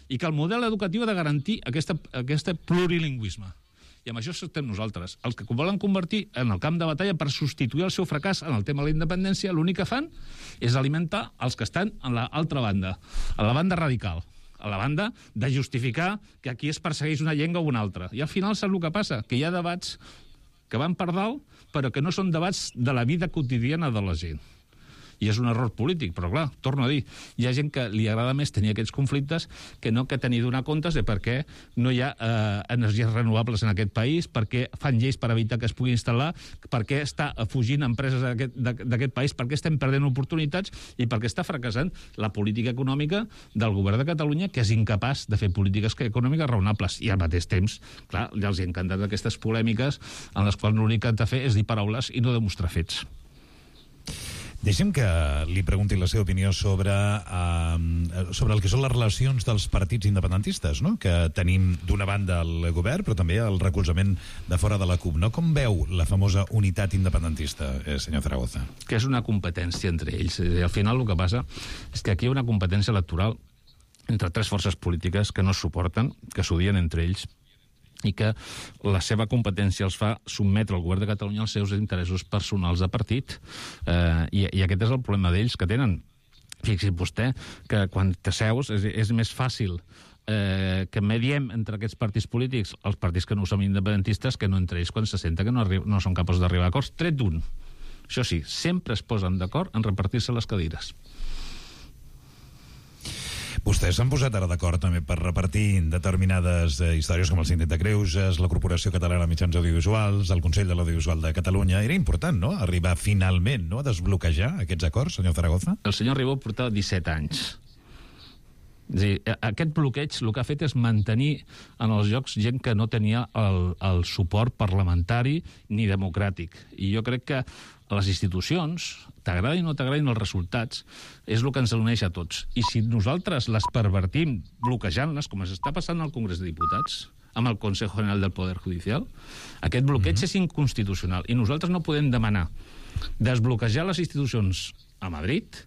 i que el model educatiu ha de garantir aquesta, aquest plurilingüisme. I amb això estem nosaltres. Els que volen convertir en el camp de batalla per substituir el seu fracàs en el tema de la independència, l'únic que fan és alimentar els que estan en l'altra banda, a la banda radical, a la banda de justificar que aquí es persegueix una llengua o una altra. I al final sap el que passa? Que hi ha debats que van per dalt, però que no són debats de la vida quotidiana de la gent. I és un error polític, però clar, torno a dir, hi ha gent que li agrada més tenir aquests conflictes que no que tenir donar comptes de per què no hi ha eh, energies renovables en aquest país, per què fan lleis per evitar que es pugui instal·lar, per què està fugint empreses d'aquest país, per què estem perdent oportunitats i per què està fracassant la política econòmica del govern de Catalunya, que és incapaç de fer polítiques econòmiques raonables. I al mateix temps, clar, ja els hi ha encantat aquestes polèmiques en les quals l'únic que han de fer és dir paraules i no demostrar fets. Deixem que li pregunti la seva opinió sobre, uh, sobre el que són les relacions dels partits independentistes, no?, que tenim d'una banda el govern, però també el recolzament de fora de la CUP. No? Com veu la famosa unitat independentista, eh, senyor Zaragoza? Que és una competència entre ells. I al final el que passa és que aquí hi ha una competència electoral entre tres forces polítiques que no es suporten, que s'odien entre ells, i que la seva competència els fa sotmetre al govern de Catalunya als seus interessos personals de partit. Eh, i, I aquest és el problema d'ells que tenen. Fixi vostè que quan t'asseus és, és més fàcil eh, que mediem entre aquests partits polítics, els partits que no som independentistes, que no entre ells quan se senta que no, no són capaços d'arribar a acords, tret d'un. Això sí, sempre es posen d'acord en repartir-se les cadires. Vostès s'han posat ara d'acord també per repartir determinades eh, històries com el Síndic de Greuges, la Corporació Catalana de Mitjans Audiovisuals, el Consell de l'Audiovisual de Catalunya. Era important, no?, arribar finalment, no?, a desbloquejar aquests acords, senyor Zaragoza? El senyor Ribó portava disset anys És a dir, aquest bloqueig el que ha fet és mantenir en els llocs gent que no tenia el, el suport parlamentari ni democràtic. I jo crec que les institucions, t'agradin o no t'agradin els resultats, és el que ens uneix a tots. I si nosaltres les pervertim bloquejant-les, com s'està passant al Congrés de Diputats, amb el Consejo General del Poder Judicial, aquest bloqueig mm-hmm. és inconstitucional. I nosaltres no podem demanar desbloquejar les institucions a Madrid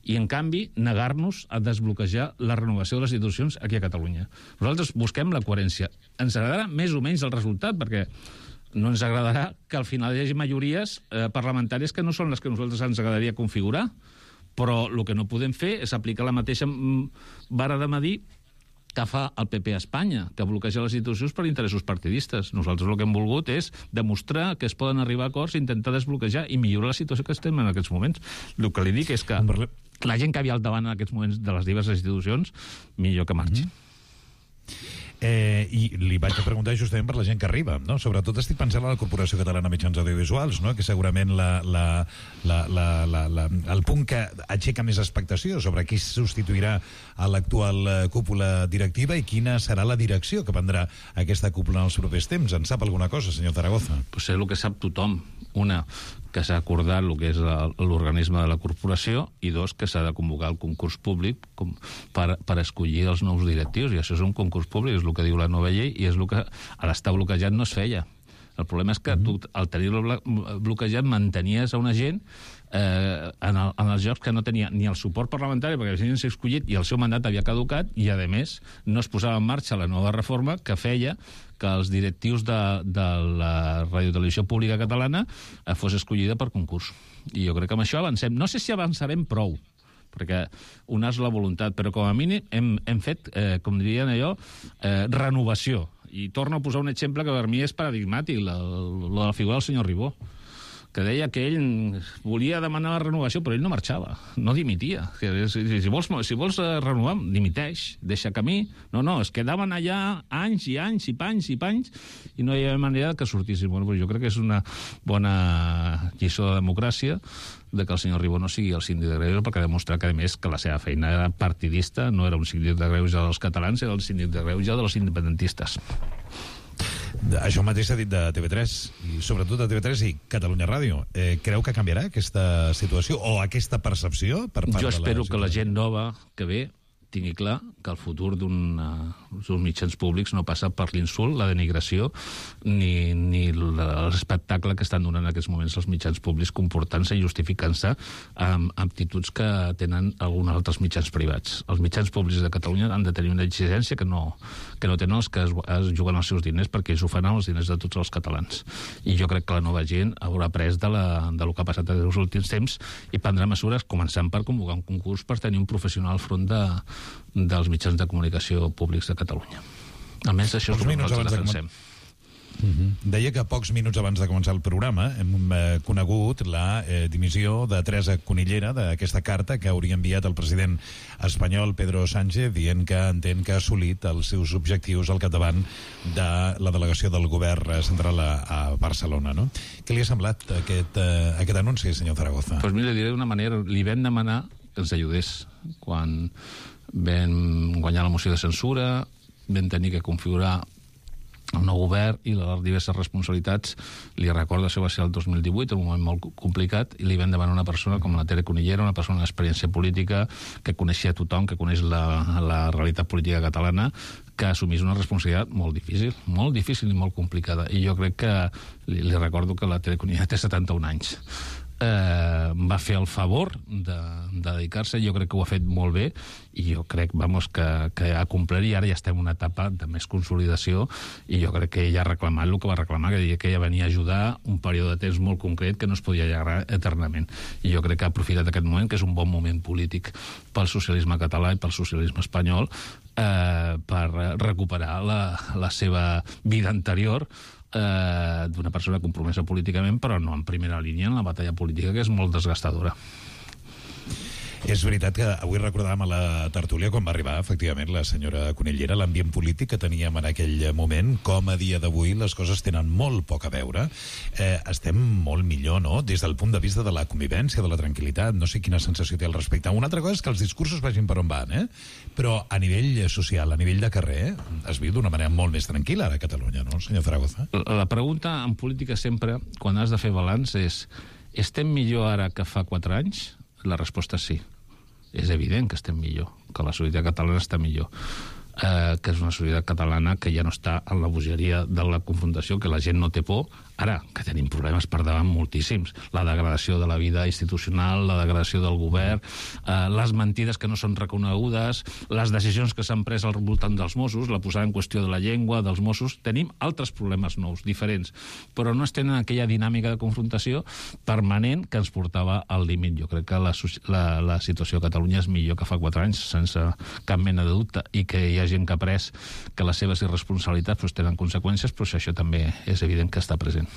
i, en canvi, negar-nos a desbloquejar la renovació de les institucions aquí a Catalunya. Nosaltres busquem la coherència. Ens agradarà més o menys el resultat, perquè no ens agradarà que al final hi hagi majories eh, parlamentàries que no són les que a nosaltres ens agradaria configurar, però el que no podem fer és aplicar la mateixa vara de medir que fa el P P a Espanya, que bloqueja les institucions per interessos partidistes. Nosaltres el que hem volgut és demostrar que es poden arribar a acords, intentar desbloquejar i millorar la situació que estem en aquests moments. El que li dic és que la gent que havia al davant en aquests moments de les diverses institucions, millor que marxi. Mm-hmm. Eh, I li vaig a preguntar justament per la gent que arriba, no? Sobretot estic pensant en la Corporació Catalana de Mitjans Audiovisuals, no? Que segurament la, la, la, la, la, la, el punt que aixeca més expectació sobre qui substituirà a l'actual cúpula directiva i quina serà la direcció que prendrà aquesta cúpula en els propers temps. En sap alguna cosa, senyor Zaragoza? Pues és el que sap tothom. Una, que s'ha acordat el que és l'organisme de la corporació, i dos, que s'ha de convocar el concurs públic com per, per escollir els nous directius, i això és un concurs públic, és el que diu la nova llei, i és el que a l'estar bloquejat no es feia. El problema és que tu, al tenir-lo bloquejat, mantenies a una gent eh, en, el, en els llocs que no tenia ni el suport parlamentari, perquè havien sigut escollit i el seu mandat havia caducat, i, a més, no es posava en marxa la nova reforma que feia que els directius de, de la radiotelevisió pública catalana eh, fos escollida per concurs. I jo crec que amb això avancem. No sé si avançarem prou, perquè una és la voluntat, però com a mínim hem, hem fet, eh, com dirien allò, eh, renovació. I torno a posar un exemple que per mi és paradigmàtic, la, la, la figura del senyor Ribó, que deia que ell volia demanar la renovació, però ell no marxava, no dimitia. Que si, si vols, si vols renovar, dimiteix, deixa camí. No, no, es quedaven allà anys i anys i panys i panys i no hi havia manera que sortissin. Bueno, jo crec que és una bona lliçó de democràcia de que el senyor Ribó no sigui el síndic de Greuges, perquè demostra que, a més, que la seva feina era partidista, no era un síndic de Greuges dels catalans, era el síndic de Greuges dels independentistes. Això mateix s'ha dit de T V tres, i sobretot de T V tres i Catalunya Ràdio. Eh, creu que canviarà aquesta situació o aquesta percepció per part de la... Jo espero que la gent nova que ve tingui clar que el futur d'un uh, mitjans públics no passa per l'insult, la denigració, ni, ni l'espectacle que estan donant en aquests moments els mitjans públics, comportant-se i justificant-se amb actituds que tenen alguns altres mitjans privats. Els mitjans públics de Catalunya han de tenir una exigència que no, que no tenen els que es, es juguen els seus diners, perquè ells ho fan amb els diners de tots els catalans. I jo crec que la nova gent haurà après de, la, de lo que ha passat en els últims temps i prendrà mesures, començant per convocar un concurs per tenir un professional al front de dels mitjans de comunicació públics de Catalunya. Almenys això és el que nosaltres defensem. Uh-huh. Deia que pocs minuts abans de començar el programa hem eh, conegut la eh, dimissió de Teresa Cunillera d'aquesta carta que hauria enviat el president espanyol Pedro Sánchez dient que entén que ha assolit els seus objectius al capdavant de la delegació del govern central a, a Barcelona, no? Què li ha semblat aquest, eh, aquest anunci, senyor Zaragoza? Pues mira, diré d'una manera, li vam demanar que ens ajudés quan vam guanyar la moció de censura, vam tenir que configurar el nou govern i les diverses responsabilitats. Li recordo, això va ser el dos mil divuit, un moment molt complicat, i li vam demanar una persona com la Tere Cunillera, una persona d'experiència política, que coneixia tothom, que coneix la, la realitat política catalana, que assumís una responsabilitat molt difícil, molt difícil i molt complicada. I jo crec que, li, li recordo que la Tere Cunillera té setanta-un anys. Eh, va fer el favor de, de dedicar-se, jo crec que ho ha fet molt bé i jo crec, vamos, que, que ha complert i ara ja estem en una etapa de més consolidació i jo crec que ella ha reclamat el que va reclamar, que deia que ella venia a ajudar un període de temps molt concret que no es podia allargar eternament i jo crec que ha aprofitat aquest moment, que és un bon moment polític pel socialisme català i pel socialisme espanyol, eh, per recuperar la, la seva vida anterior, Eh, d'una persona compromesa políticament, però no en primera línia en la batalla política, que és molt desgastadora. És veritat que avui recordàvem a la tertúlia quan va arribar, efectivament, la senyora Cunillera, l'ambient polític que teníem en aquell moment, com a dia d'avui les coses tenen molt poc a veure. Eh, estem molt millor, no?, des del punt de vista de la convivència, de la tranquil·litat. No sé quina sensació té al respecte. Una altra cosa és que els discursos vagin per on van, eh? Però a nivell social, a nivell de carrer, es viu d'una manera molt més tranquil·la ara a Catalunya, no, senyor Zaragoza? La pregunta en política sempre, quan has de fer balanç, és estem millor ara que fa quatre anys? La resposta és sí. És evident que estem millor, que la societat catalana està millor. Eh, que és una societat catalana que ja no està en la bogeria de la confrontació, que la gent no té por. Ara, que tenim problemes per davant moltíssims. La degradació de la vida institucional, la degradació del govern, eh, les mentides que no són reconegudes, les decisions que s'han pres al voltant dels Mossos, la posada en qüestió de la llengua, dels Mossos. Tenim altres problemes nous, diferents, però no es tenen aquella dinàmica de confrontació permanent que ens portava al límit. Jo crec que la, la, la situació a Catalunya és millor que fa quatre anys, sense cap mena de dubte, i que hi ha gent que ha pres que les seves irresponsabilitats pues, tenen conseqüències, però això també és evident que està present.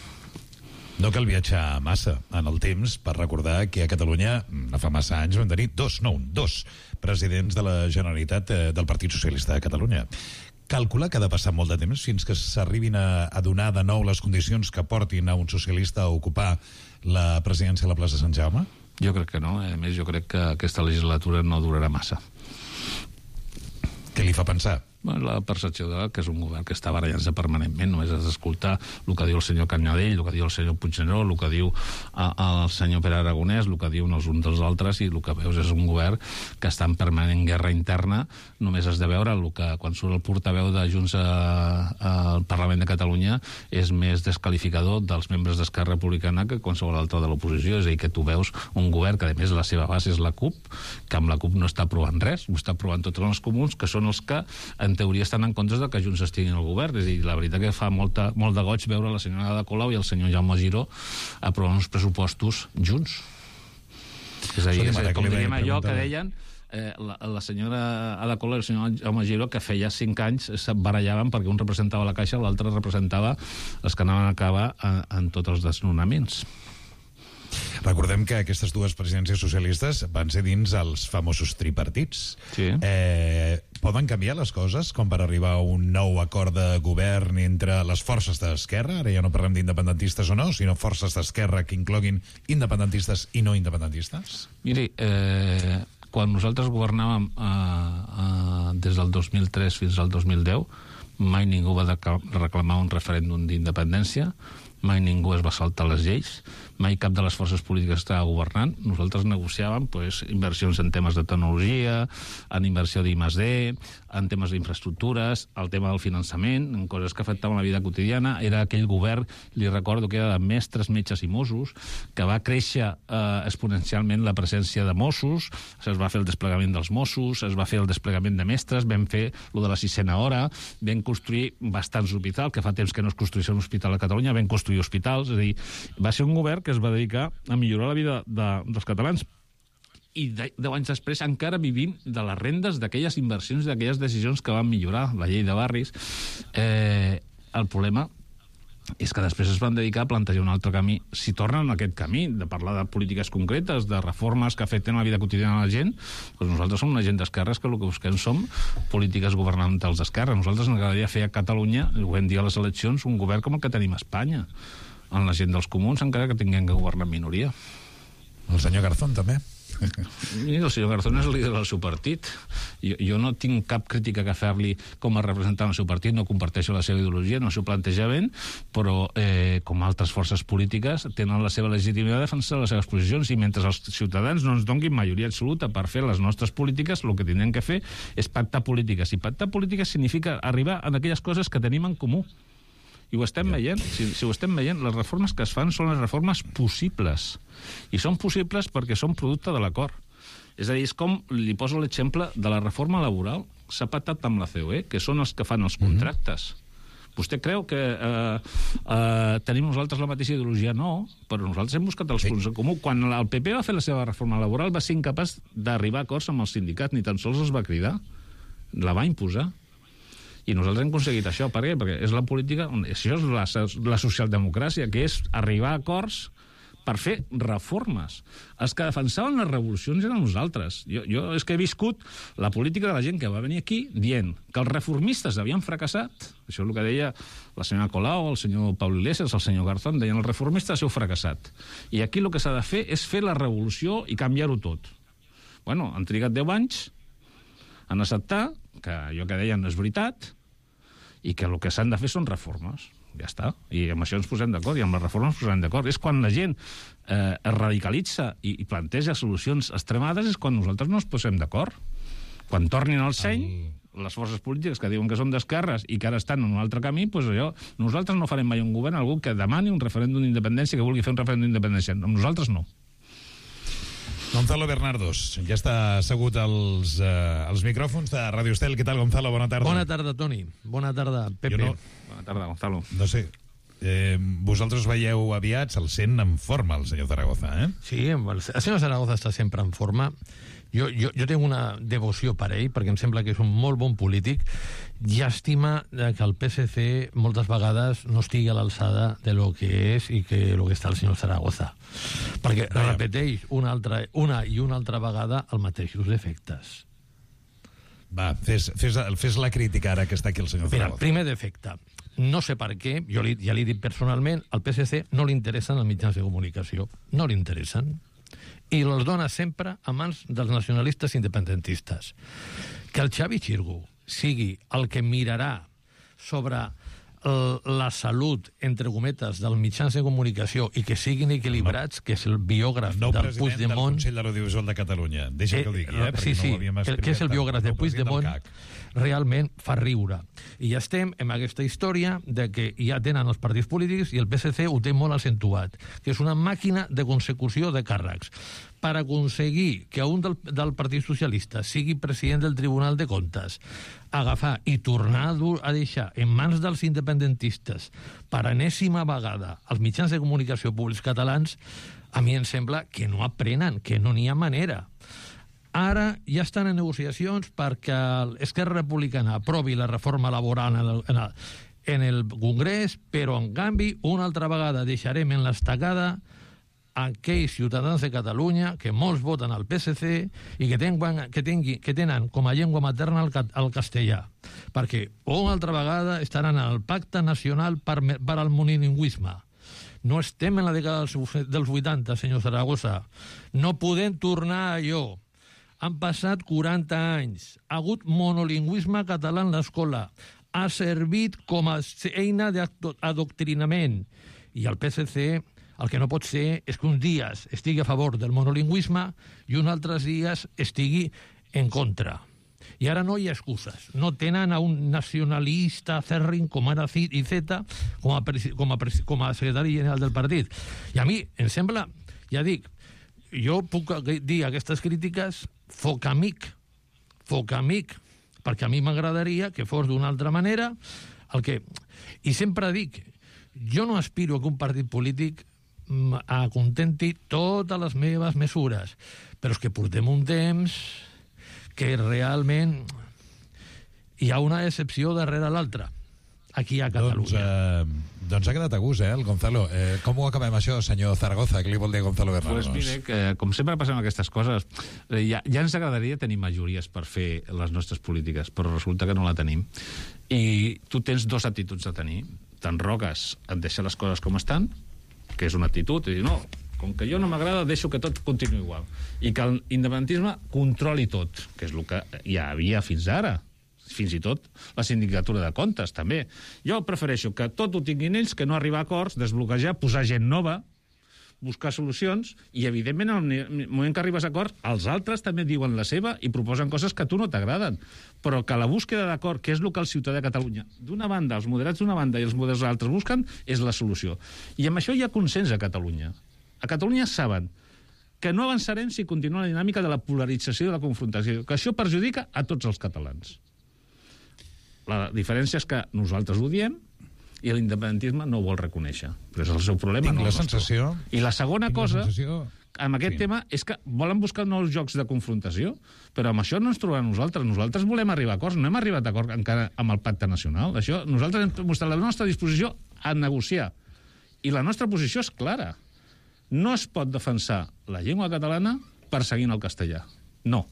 No cal viatjar massa en el temps per recordar que a Catalunya, no fa massa anys, vam tenir dos, no un, dos presidents de la Generalitat eh, del Partit Socialista de Catalunya. Calcula que ha de passar molt de temps fins que s'arribin a, a donar de nou les condicions que portin a un socialista a ocupar la presidència a la plaça Sant Jaume? Jo crec que no. A més, jo crec que aquesta legislatura no durarà massa. Què li fa pensar? La percepció de que és un govern que està barallant-se permanentment. Només has d'escoltar el que diu el senyor Canyadell, el que diu el senyor Puigneró, el que diu el senyor Pere Aragonès, el que diuen els uns dels altres, i el que veus és un govern que està en permanent guerra interna. Només has de veure el que, quan surt el portaveu de Junts al Parlament de Catalunya, és més desqualificador dels membres d'Esquerra Republicana que qualsevol altre de l'oposició. És a dir, que tu veus un govern que, a més, la seva base és la CUP, que amb la CUP no està aprovant res, ho està aprovant tots els comuns, que són els que, en teoria, estan en contra de que Junts estigui al govern. És a dir, la veritat que fa molta, molt de goig veure la senyora Ada Colau i el senyor Jaume Giró aprovant uns pressupostos junts. És a dir, és, com diríem allò que deien eh, la, la senyora Ada Colau i el senyor Jaume Giró, que feia cinc anys se barallaven perquè un representava la Caixa i l'altre representava els que anaven a acabar en, en tots els desnonaments. Recordem que aquestes dues presidències socialistes van ser dins els famosos tripartits. Sí. Eh, poden canviar les coses com per arribar a un nou acord de govern entre les forces d'esquerra? Ara ja no parlem d'independentistes o no, sinó forces d'esquerra que incloguin independentistes i no independentistes? Miri, eh, quan nosaltres governàvem eh, eh, des del dos mil tres fins al dos mil deu, mai ningú va reclamar un referèndum d'independència, mai ningú es va saltar les lleis, mai cap de les forces polítiques estava governant. Nosaltres negociàvem pues, inversions en temes de tecnologia, en inversió d'I més D, en temes d'infraestructures, el tema del finançament, en coses que afectaven la vida quotidiana. Era aquell govern, li recordo que era de mestres, metges i Mossos, que va créixer eh, exponencialment la presència de Mossos, es va fer el desplegament dels Mossos, es va fer el desplegament de mestres, vam fer lo de la sisena hora, vam construir bastants hospitals, que fa temps que no es construïssin un hospital a Catalunya, vam construir hospitals, és a dir, va ser un govern que es va dedicar a millorar la vida de, dels catalans. I de, deu anys després encara vivim de les rendes d'aquelles inversions, d'aquelles decisions que van millorar la llei de barris. Eh, el problema és que després es van dedicar a plantejar un altre camí. Si tornen a aquest camí de parlar de polítiques concretes, de reformes que afecten la vida quotidiana de la gent, doncs nosaltres som una gent d'esquerres que el que busquem som polítiques governamentals d'esquerra. Nosaltres ens agradaria fer a Catalunya, ho vam dir a les eleccions, un govern com el que tenim a Espanya, en la gent dels comuns, encara que tinguem que governar en minoria. El senyor Garzón, també. I el senyor Garzón és el líder del seu partit. Jo, jo no tinc cap crítica que fer-li com a representant del seu partit, no comparteixo la seva ideologia, no s'ho planteja ben, però eh, com altres forces polítiques tenen la seva legitimitat de defensar les seves posicions, i mentre els ciutadans no ens donguin majoria absoluta per fer les nostres polítiques, el que tindrem que fer és pactar polítiques. I pactar polítiques significa arribar a aquelles coses que tenim en comú. I ho estem veient, si, si ho estem veient, les reformes que es fan són les reformes possibles. I són possibles perquè són producte de l'acord. És a dir, és com, li poso l'exemple de la reforma laboral, s'ha pactat amb la C O E, que són els que fan els contractes. Mm-hmm. Vostè creu que eh, eh, tenim nosaltres la mateixa ideologia? No, però nosaltres hem buscat els punts en comú. Quan el P P va fer la seva reforma laboral va ser incapaç d'arribar a acords amb els sindicats, ni tan sols els va cridar. La va imposar. I nosaltres hem aconseguit això. Per què? Perquè és la política, això és la, la socialdemocràcia, que és arribar a acords per fer reformes. Els que defensaven les revolucions eren nosaltres. Jo, jo és que he viscut la política de la gent que va venir aquí dient que els reformistes havien fracassat. Això és el que deia la senyora Colau, el senyor Pau Iglesias, el senyor Garzón, deien els reformistes heu fracassat. I aquí el que s'ha de fer és fer la revolució i canviar-ho tot. Bueno, han trigat deu anys en acceptar que allò que deien és veritat i que el que s'han de fer són reformes. Ja està. I amb això ens posem d'acord, i amb les reformes ens posem d'acord. És quan la gent eh, es radicalitza i, i planteja solucions extremades, és quan nosaltres no ens posem d'acord. Quan tornin al seny, Ai. les forces polítiques que diuen que són d'esquerres i que ara estan en un altre camí, doncs allò, nosaltres no farem mai un govern, algú que demani un referèndum d'independència, que vulgui fer un referèndum d'independència. Amb nosaltres no. Gonzalo Bernardos, ja està assegut als, uh, als micròfons de Ràdio Estel. Què tal, Gonzalo? Bona tarda. Bona tarda, Toni. Bona tarda, Pepe. No... Bona tarda, Gonzalo. No sé, eh, vosaltres veieu aviat, se'l sent en forma, el senyor Zaragoza, eh? Sí, el senyor Zaragoza està sempre en forma. Jo, jo, jo tinc una devoció per ell, perquè em sembla que és un molt bon polític. Llàstima que el P S C moltes vegades no estigui a l'alçada de lo que és i que lo que està el senyor Zaragoza. Perquè Vaja. repeteix una, altra, una i una altra vegada els mateixos defectes. Va, fes, fes, fes la crítica ara que està aquí el senyor Mira, Zaragoza. primer defecte. No sé per què, jo li, ja li he dit personalment, al P S C no li interessen els mitjans de comunicació. No li interessen. I els dona sempre a mans dels nacionalistes independentistes. Que el Xavi Xirgu sigui el que mirarà sobre la salut, entre cometes, dels mitjans de comunicació i que siguin equilibrats, no. que és el biògraf no del Puigdemont... del Consell de l'Audiovisual de Catalunya. Deixa eh, que ho digui, eh? Sí, sí, no el, que és el biògraf de Puigdemont, realment fa riure. I ja estem en aquesta història de que ja tenen els partits polítics i el P S C ho té molt accentuat, que és una màquina de consecució de càrrecs. Per aconseguir que un del, del Partit Socialista sigui president del Tribunal de Comptes, agafar i tornar a, dur, a deixar en mans dels independentistes per enèsima vegada els mitjans de comunicació públics catalans, a mi em sembla que no aprenen, que no n'hi ha manera. Ara ja estan en negociacions perquè l'Esquerra Republicana aprovi la reforma laboral en el, en el, en el Congrés, però en canvi una altra vegada deixarem en l'estacada aquells ciutadans de Catalunya que molts voten al P S C i que tenen, que tingui, que tenen com a llengua materna el, el castellà, perquè una altra vegada estaran al Pacte Nacional per, per al monolingüisme. No estem en la dècada dels vuitanta, senyor Zaragoza. No podem tornar a allò. Han passat quaranta anys. Ha hagut monolingüisme català en l'escola. Ha servit com a eina d'adoctrinament. I el P S C... El que no pot ser és que uns dies estigui a favor del monolingüisme i uns altres dies estigui en contra. I ara no hi ha excuses. No tenen a un nacionalista fèrrim com ara Iceta com a, com, a, com a secretari general del partit. I a mi em sembla, ja dic, jo puc dir aquestes crítiques foc amic, foc amic, perquè a mi m'agradaria que fos d'una altra manera el que... I sempre dic, jo no aspiro a que un partit polític acontenti totes les meves mesures, però és que portem un temps que realment hi ha una excepció darrere l'altra aquí a Catalunya. Doncs, eh, doncs ha quedat a gust, eh, el Gonzalo. Eh, com ho acabem això, senyor Zaragoza? Què li vol dir Gonzalo Bernardos? Pues mire, que, com sempre passem aquestes coses, eh, ja, ja ens agradaria tenir majories per fer les nostres polítiques, però resulta que no la tenim. I tu tens dos actituds a tenir. T'enroques a deixar les coses com estan, que és una actitud, i dir, no, com que jo no m'agrada, deixo que tot continuï igual. I que l'independentisme controli tot, que és el que hi havia fins ara. Fins i tot la sindicatura de comptes, també. Jo prefereixo que tot ho tinguin ells, que no arribar a acords, desbloquejar, posar gent nova, buscar solucions, i evidentment en el moment que arribes a acord, els altres també diuen la seva i proposen coses que a tu no t'agraden, però que la búsqueda d'acord, que és el que el ciutadà de Catalunya, d'una banda, els moderats d'una banda i els moderats altres busquen, és la solució. I amb això hi ha consens a Catalunya. A Catalunya saben que no avançarem si continua la dinàmica de la polarització i de la confrontació, que això perjudica a tots els catalans. La diferència és que nosaltres ho diem i l'independentisme no ho vol reconèixer. Però és el seu problema. Tinc no la sensació... I la segona cosa, sensació... amb aquest sí. tema, és que volen buscar nous jocs de confrontació, però amb això no ens trobaran nosaltres. Nosaltres volem arribar a acords, no hem arribat a acord encara amb el pacte nacional. Això, nosaltres hem mostrat la nostra disposició a negociar. I la nostra posició és clara. No es pot defensar la llengua catalana perseguint el castellà. No.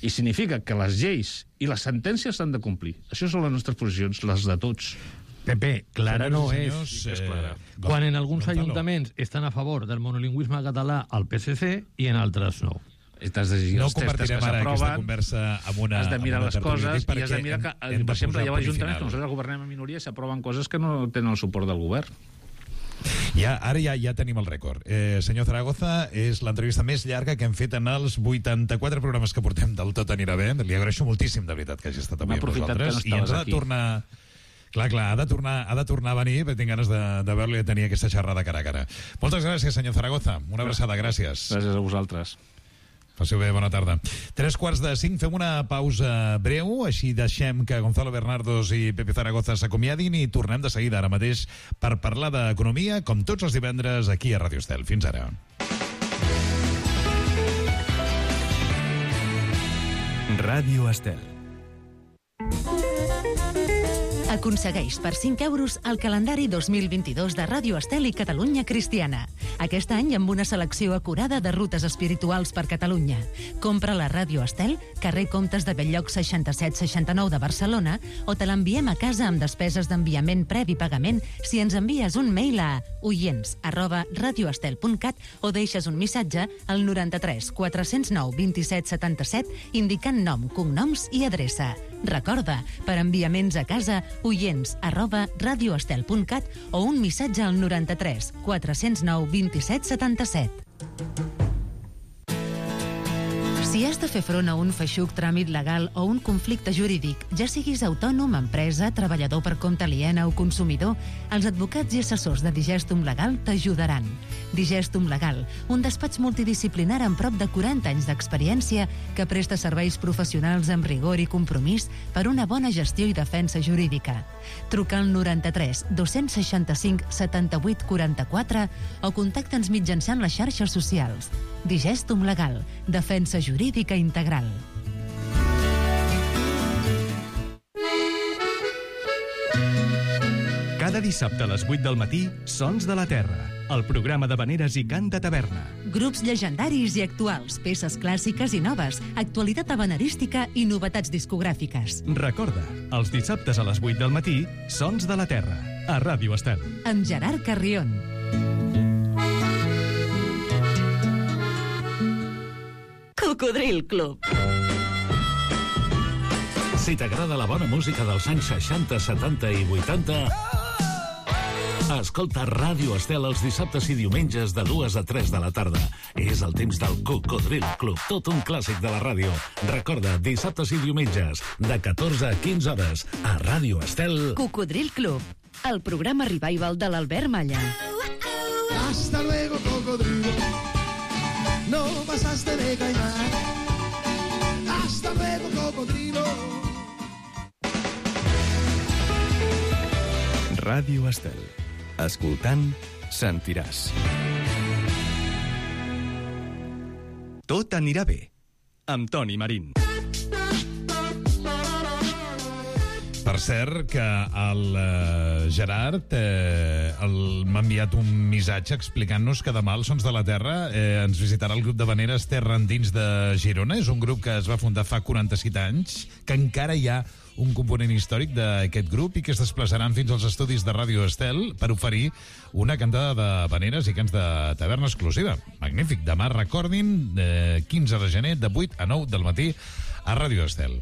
I significa que les lleis i les sentències s'han de complir. Això són les nostres posicions, les de tots. Pepe, clara no és. Sí que és clara. Quan en alguns ajuntaments estan a favor del monolingüisme català al P S C i en altres no. No compartirem ara aquesta conversa amb una... Has de mirar les coses i has de mirar que, hem, hem per exemple, hi ha ajuntaments que final. nosaltres governem a minoria i s'aproven coses que no tenen el suport del govern. Ja, ara ja, ja tenim el rècord. Eh, senyor Zaragoza, és l'entrevista més llarga que hem fet en els vuitanta-quatre programes que portem del Tot anirà bé. Li agraeixo moltíssim, de veritat, que hagi estat avui amb nosaltres. I ens ha de tornar... Clar, clar, ha de tornar, ha de tornar a venir, perquè tinc ganes de, de veure-lo i de tenir aquesta xerrada cara a cara. Moltes gràcies, senyor Zaragoza. Una abraçada, gràcies. Gràcies a vosaltres. Passeu bé, bona tarda. Tres quarts de cinc, fem una pausa breu, així deixem que Gonzalo Bernardos i Pepe Zaragoza s'acomiadin i tornem de seguida ara mateix per parlar d'economia, com tots els divendres, aquí a Ràdio Estel. Fins ara. Ràdio Estel. Aconsegueix per cinc euros el calendari dos mil vint-i-dos de Ràdio Estel i Catalunya Cristiana. Aquest any amb una selecció acurada de rutes espirituals per Catalunya. Compra la Ràdio Estel, carrer Comtes de Belllloc seixanta-set seixanta-nou de Barcelona, o te l'enviem a casa amb despeses d'enviament previ pagament si ens envies un mail a oients arroba radioestel punt cat o deixes un missatge al noranta-tres quatre-cents nou vint-i-set setanta-set indicant nom, cognoms i adreça. Recorda, per enviaments a casa, oients arroba radioestel punt cat o un missatge al noranta-tres quatre-cents nou vint-i-set setanta-set. Si has de fer front a un feixuc tràmit legal o un conflicte jurídic, ja siguis autònom, empresa, treballador per compte aliena o consumidor, els advocats i assessors de Digestum Legal t'ajudaran. Digestum Legal, un despatx multidisciplinar amb prop de quaranta anys d'experiència que presta serveis professionals amb rigor i compromís per una bona gestió i defensa jurídica. Truca al noranta-tres dos-cents seixanta-cinc setanta-vuit quaranta-quatre o contacta'ns mitjançant les xarxes socials. Digestum Legal, defensa jurídica integral. Cada dissabte a les vuit del matí, Sons de la Terra, el programa de veneres i cant de taverna. Grups llegendaris i actuals, peces clàssiques i noves, actualitat habanerística i novetats discogràfiques. Recorda, els dissabtes a les vuit del matí, Sons de la Terra, a Ràdio Estel. Amb Gerard Carrion. Cocodril Club. Si t'agrada la bona música dels anys seixanta, setanta i vuitanta, escolta Ràdio Estel els dissabtes i diumenges de dues a tres de la tarda. És el temps del Cocodril Club, tot un clàssic de la ràdio. Recorda, dissabtes i diumenges, de catorze a quinze hores, a Ràdio Estel. Cocodril Club, el programa revival de l'Albert Malla. Hasta luego, cocodrilo. No pasaste de caimán. Hasta luego, cocodrilo. Ràdio Estel. Escoltant, sentiràs. Tot anirà bé. Amb Toni Marín. Per cert, que el uh, Gerard eh, el, m'ha enviat un missatge explicant-nos que demà als Sons de la Terra eh, ens visitarà el grup de veneres Terra Endins de Girona. És un grup que es va fundar fa quaranta-set anys, que encara hi ha un component històric d'aquest grup i que es desplaçaran fins als estudis de Ràdio Estel per oferir una cantada de veneres i cants de taverna exclusiva. Magnífic. Demà, recordin, eh, quinze de gener, de vuit a nou del matí a Ràdio Estel.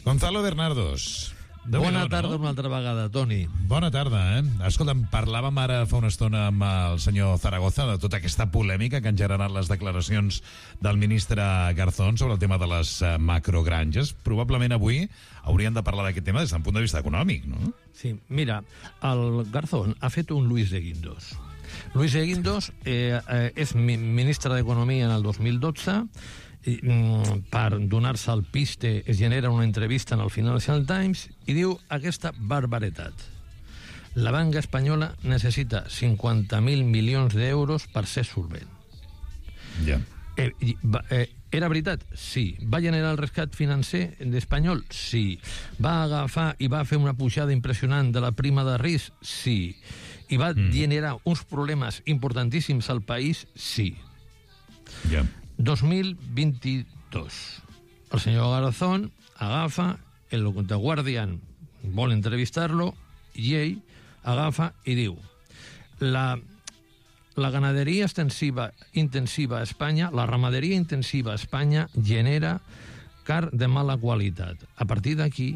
Gonzalo Bernardos. Bona tarda una altra vegada, Toni. Bona tarda, eh? Escolta'm, parlàvem ara fa una estona amb el senyor Zaragoza de tota aquesta polèmica que han generat les declaracions del ministre Garzón sobre el tema de les macrogranges. Probablement avui hauríem de parlar d'aquest tema des d'un punt de vista econòmic, no? Sí, mira, el Garzón ha fet un Luis de Guindos. Luis de Guindos eh, eh, és ministre d'Economia en el dos mil dotze. I, mm, per donar-se al piste es genera una entrevista en el Financial Times i diu aquesta barbaretat: la banca espanyola necessita cinquanta mil milions d'euros per ser solvent. Ja. Eh, eh, era veritat? Sí. Va generar el rescat financer d'Espanyol? Sí. Va agafar i va fer una pujada impressionant de la prima de risc? Sí. i va mm. generar uns problemes importantíssims al país, sí. Yeah. dos mil vint-i-dos. El senyor Garzón agafa, el The Guardian vol entrevistar-lo, i ell agafa i diu la, la ganaderia extensiva, intensiva a Espanya, la ramaderia intensiva a Espanya genera car de mala qualitat. A partir d'aquí,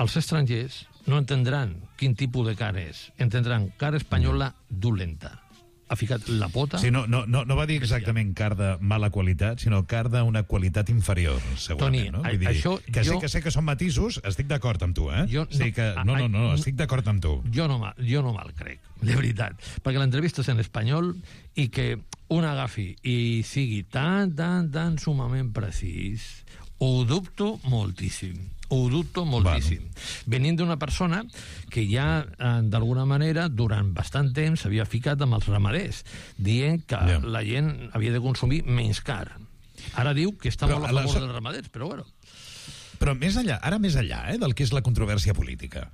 els estrangers no entendran quin tipus de car és, entendran car espanyola dolenta. Ha ficat la pota... Sí, no, no, no, no va dir exactament car de mala qualitat, sinó car d'una qualitat inferior, segurament. Toni, no? Vull dir, això... Que jo... sé que sé que són matisos, estic d'acord amb tu, eh? Jo, sí que... no, no, no, estic d'acord amb tu. Jo no, jo no me'l crec, de veritat. Perquè l'entrevista és en espanyol i que un agafi i sigui tan, tan, tan sumament precís, ho dubto moltíssim. Ho dubto moltíssim. Bueno. Venint d'una persona que ja, eh, d'alguna manera, durant bastant temps s'havia ficat amb els ramaders, dient que yeah. la gent havia de consumir menys car. Ara diu que està però molt a favor la... dels ramaders, però bueno. Però més enllà, ara més enllà eh, del que és la controvèrsia política,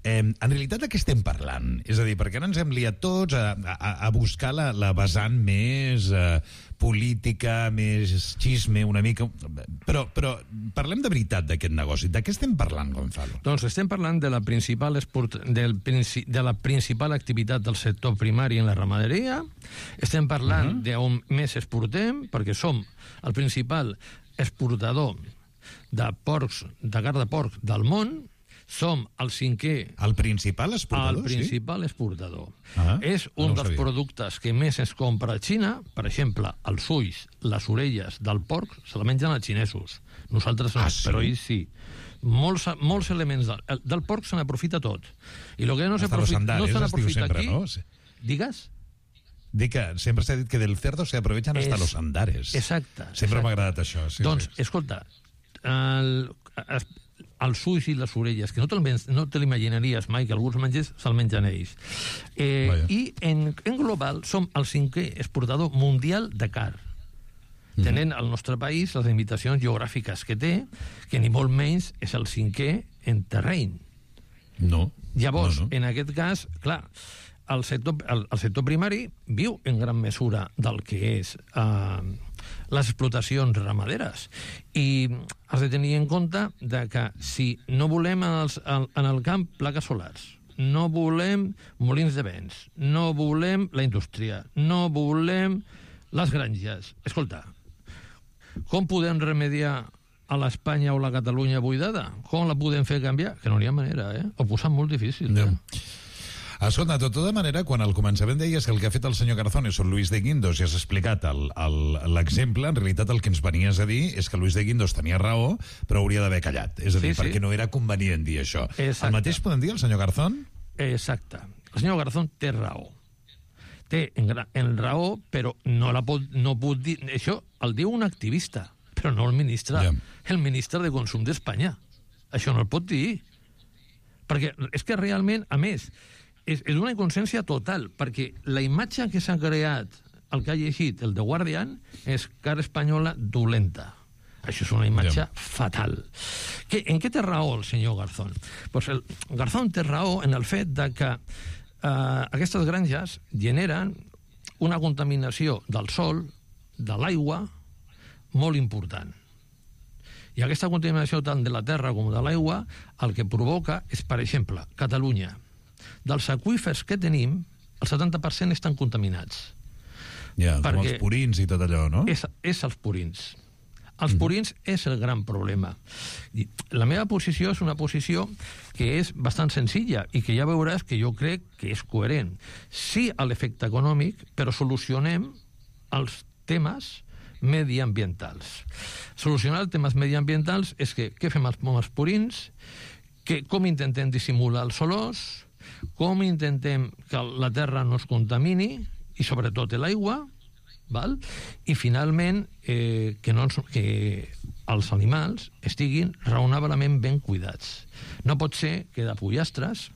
eh, en realitat de què estem parlant? És a dir, perquè ara ens hem liat tots a, a, a buscar la, la vessant més eh, política, més xisme, una mica... Però, però parlem de veritat d'aquest negoci. De què estem parlant, Gonzalo? Doncs estem parlant de la principal, esport, del, de la principal activitat del sector primari en la ramaderia. Estem parlant uh-huh. d'on més exportem, perquè som el principal exportador de porcs, de carn de porc del món, som el cinquè... El principal exportador, El principal sí? exportador. Ah, és un no dels sabia. productes que més es compra a Xina. Per exemple, els ulls, les orelles del porc se la mengen els xinesos. Nosaltres no, ah, sí? Però ells sí. Molts, molts elements del, del porc se n'aprofita tot. I el que no se n'aprofita aquí... No? Digues? Dic que sempre s'ha dit que del cerdo se aprovechen hasta los andares. Exacte. Sempre m'ha agradat això. Sí, doncs, sí. escolta, el, els ulls i les orelles, que no te, no te l'imaginaries mai que alguns mengers se'l mengen ells. Eh, I en, en global som el cinquè exportador mundial de car. Mm. Tenint al nostre país les limitacions geogràfiques que té, que ni molt menys és el cinquè en terreny. No. Llavors, no, no. en aquest cas, clar, el sector, el, el sector primari viu en gran mesura del que és eh, les explotacions ramaderes. I has de tenir en compte de que si no volem en, els, en el camp plaques solars, no volem molins de vents, no volem la indústria, no volem les granges. Escolta, com podem remediar a l'Espanya o la Catalunya buidada? Com la podem fer canviar? Que no hi ha manera, eh? Ho posen molt difícil. Eh? Escolta, de tota manera, quan al començament deies que el que ha fet el senyor Garzón és Luis de Guindos i has explicat l'exemple, en realitat el que ens venies a dir és que Luis de Guindos tenia raó, però hauria d'haver callat. És a dir, sí, sí. perquè no era convenient dir això. Exacte. El mateix podem dir al senyor Garzón? Exacte. El senyor Garzón té raó. Té en, en raó, però no la pot, no pot dir... Això el diu un activista, però no el ministre, yeah. el ministre de Consum d'Espanya. Això no el pot dir. Perquè és que realment, a més... És, és una inconsciència total, perquè la imatge que s'ha creat, el que ha llegit el The Guardian, és car espanyola dolenta. Això és una imatge yeah. fatal. Que, en què té raó el senyor Garzón? Pues el Garzón té raó en el fet de que eh, aquestes granges generen una contaminació del sol, de l'aigua, molt important. I aquesta contaminació tant de la terra com de l'aigua el que provoca és, per exemple, Catalunya. Dels aqüífers que tenim, el setanta per cent estan contaminats. Ja, com els purins i tot allò, no? És, és els purins. Els purins mm. és el gran problema. I la meva posició és una posició que és bastant senzilla i que ja veuràs que jo crec que és coherent. Sí a l'efecte econòmic, però solucionem els temes mediambientals. Solucionar els temes mediambientals és que què fem amb els purins, que, com intentem dissimular els olors, com intentem que la terra no es contamini i sobretot l'aigua, val? I finalment eh, que, no, que els animals estiguin raonablement ben cuidats. No pot ser que de pollastres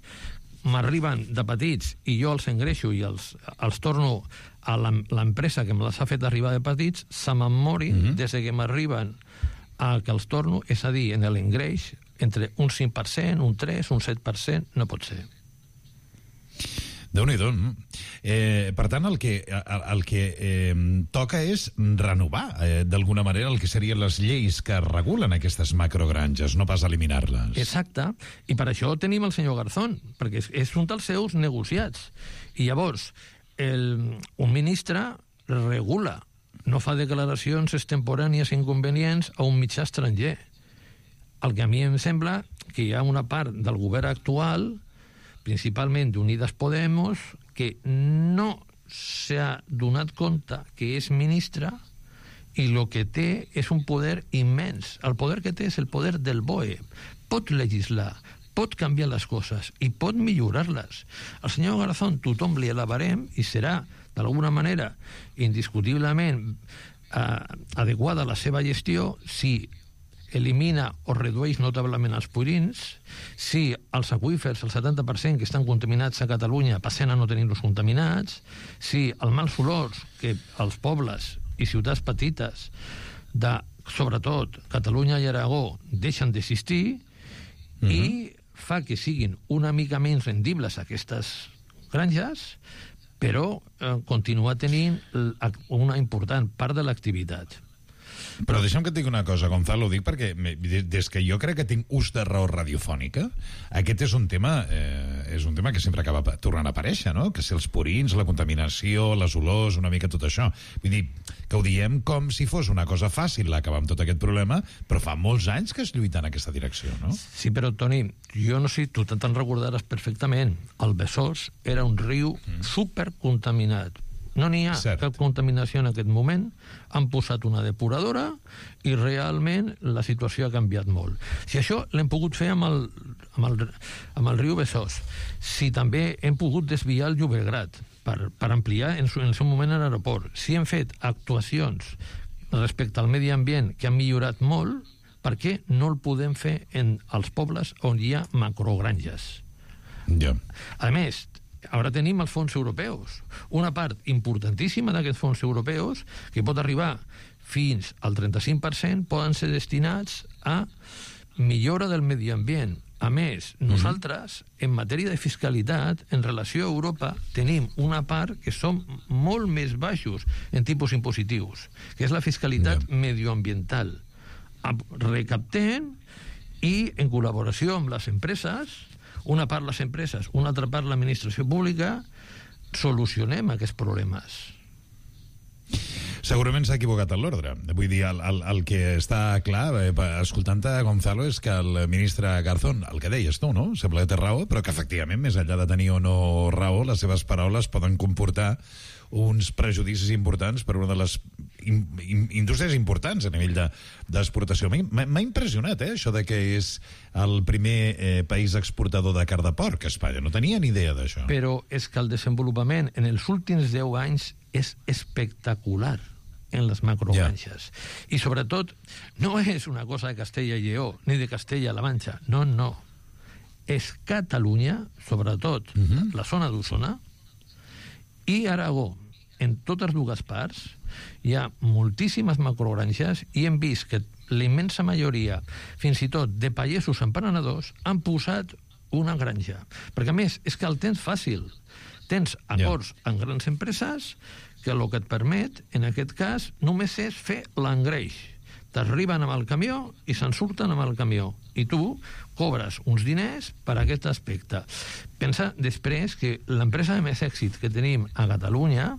m'arriben de petits i jo els engreixo i els, els torno a l'empresa que me les ha fet arribar de petits, se me'n morin mm-hmm. des que m'arriben a que els torno, és a dir, en l'engreix entre un cinc per cent, un tres, un set per cent, no pot ser. Déu-n'hi-do. Eh, per tant, el que, el, el que eh, toca és renovar, eh, d'alguna manera, el que serien les lleis que regulen aquestes macrogranges, no pas eliminar-les. Exacte. I per això tenim el senyor Garzón, perquè és, és un dels seus negociats. I llavors, el, un ministre regula, no fa declaracions extemporànies inconvenients a un mitjà estranger. El que a mi em sembla que hi ha una part del govern actual, principalment d'Unides Podemos, que no s'ha donat compte que és ministre i el que té és un poder immens. El poder que té és el poder del B O E. Pot legislar, pot canviar les coses i pot millorar-les. El senyor Garzón tothom li alabarem i serà, d'alguna manera, indiscutiblement eh, adequada a la seva gestió si elimina o redueix notablement els purins, si els aqüífers, el setanta per cent que estan contaminats a Catalunya, passen a no tenir-los contaminats, si els mals olors que els pobles i ciutats petites de, sobretot, Catalunya i Aragó, deixen d'existir, uh-huh. i fa que siguin una mica menys rendibles aquestes granges, però eh, continua tenint una important part de l'activitat. Però deixa'm que et digui una cosa, Gonzalo, ho dic perquè des que jo crec que tinc ús de raó radiofònica, aquest és un tema eh, és un tema que sempre acaba tornant a aparèixer, no? Que si els purins, la contaminació, les olors, una mica tot això. Vull dir, que ho diem com si fos una cosa fàcil acabar amb tot aquest problema, però fa molts anys que es lluita en aquesta direcció, no? Sí, però, Toni, jo no sé, tu te'n recordaràs perfectament. El Besòs era un riu mm. supercontaminat. No n'hi ha Cert. cap contaminació en aquest moment. Han posat una depuradora i realment la situació ha canviat molt. Si això l'hem pogut fer amb el, amb el, amb el riu Besòs, si també hem pogut desviar el Llobregat per, per ampliar en, su, en el seu moment l'aeroport, si hem fet actuacions respecte al medi ambient que han millorat molt, per què no el podem fer en els pobles on hi ha macrogranges? Ja. A més, ara tenim els fons europeus. Una part importantíssima d'aquests fons europeus, que pot arribar fins al trenta-cinc per cent, poden ser destinats a millora del medi ambient. A més, nosaltres, en matèria de fiscalitat, en relació a Europa, tenim una part que som molt més baixos en tipus impositius, que és la fiscalitat yeah. medioambiental. Recaptem i, en col·laboració amb les empreses, una part les empreses, una altra part l'administració pública, solucionem aquests problemes. Segurament s'ha equivocat en l'ordre. Vull dir, el, el, el que està clar, eh, escoltant-te, Gonzalo, és que el ministre Garzón, el que deies tu, no? Sembla que té raó, però que efectivament, més enllà de tenir o no raó, les seves paraules poden comportar uns prejudicis importants per una de les in, in, indústries importants a nivell d'exportació. De, M'ha impressionat, eh, això de que és el primer eh, país exportador de carn de porc a Espanya. No tenia ni idea d'això. Però és que el desenvolupament en els últims deu anys és espectacular en les macrogranges. Yeah. I sobretot, no és una cosa de Castella i Lleó, ni de Castella-La Manxa. No, no. És Catalunya, sobretot uh-huh. la zona d'Osona, i Aragó. En totes dues parts hi ha moltíssimes macrogranges i hem vist que la immensa majoria, fins i tot de pagesos emprenedors, han posat una granja. Perquè, a més, és que el tens fàcil. Tens acords yeah. amb grans empreses que el que et permet, en aquest cas, només és fer l'engreix. T'arriben amb el camió i se'n surten amb el camió. I tu cobres uns diners per aquest aspecte. Pensa després que l'empresa de més èxit que tenim a Catalunya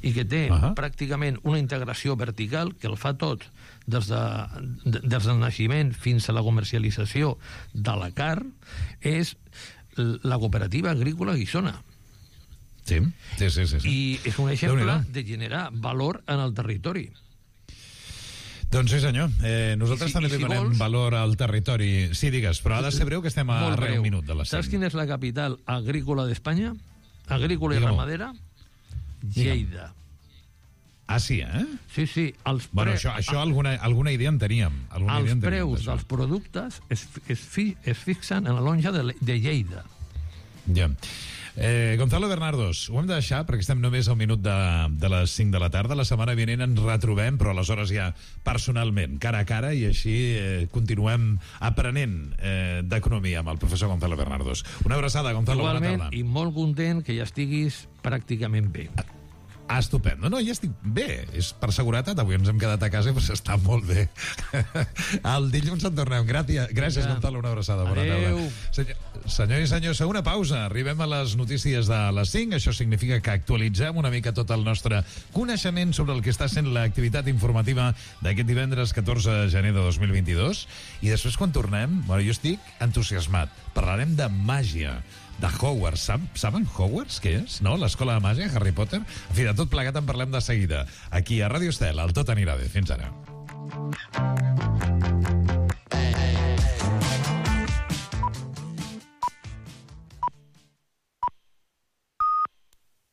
i que té uh-huh. pràcticament una integració vertical que el fa tot des, de, des del naixement fins a la comercialització de la carn és la cooperativa agrícola Guissona. Sí, sí, sí. sí, sí. I és un exemple de generar valor en el territori. Doncs sí, senyor. Eh, nosaltres si, també si donem vols... valor al territori. Sí, digues, però ha de ser breu, que estem a res un minut de la cinc. Saps quina és la capital agrícola d'Espanya? Agrícola i Digue-ho. ramadera? Lleida. Ah, sí, eh? Sí, sí. Els bueno, pre... això, això alguna, alguna idea en teníem. Alguna els idea en preus teníem, dels productes es, es, fi, es fixen en la lonja de, de Lleida. Ja. Eh, Gonzalo Bernardos, ho hem de deixar perquè estem només al minut de, de les cinc de la tarda. La setmana vinent ens retrobem, però aleshores ja personalment, cara a cara, i així eh, continuem aprenent eh, d'economia amb el professor Gonzalo Bernardos. Una abraçada, Gonzalo. Igualment, i molt content que ja estiguis pràcticament bé. Ah, estupendo. No, ja estic bé. És per seguretat. Avui ens hem quedat a casa i pues, està molt bé. El dilluns en tornem. Gràcies, gràcies ja. Gonzalo. Una abraçada. Bona tarda. Senyor, senyor i senyor, segona pausa. Arribem a les notícies de les cinc. Això significa que actualitzem una mica tot el nostre coneixement sobre el que està sent l'activitat informativa d'aquest divendres catorze de gener de dos mil vint-i-dos. I després, quan tornem, bueno, jo estic entusiasmat. Parlarem de màgia, de Hogwarts. Sab, saben Hogwarts què és? No? L'escola de màgia, Harry Potter? En fi, de tot plegat en parlem de seguida. Aquí a Ràdio Estel, el Tot anirà bé. Fins ara.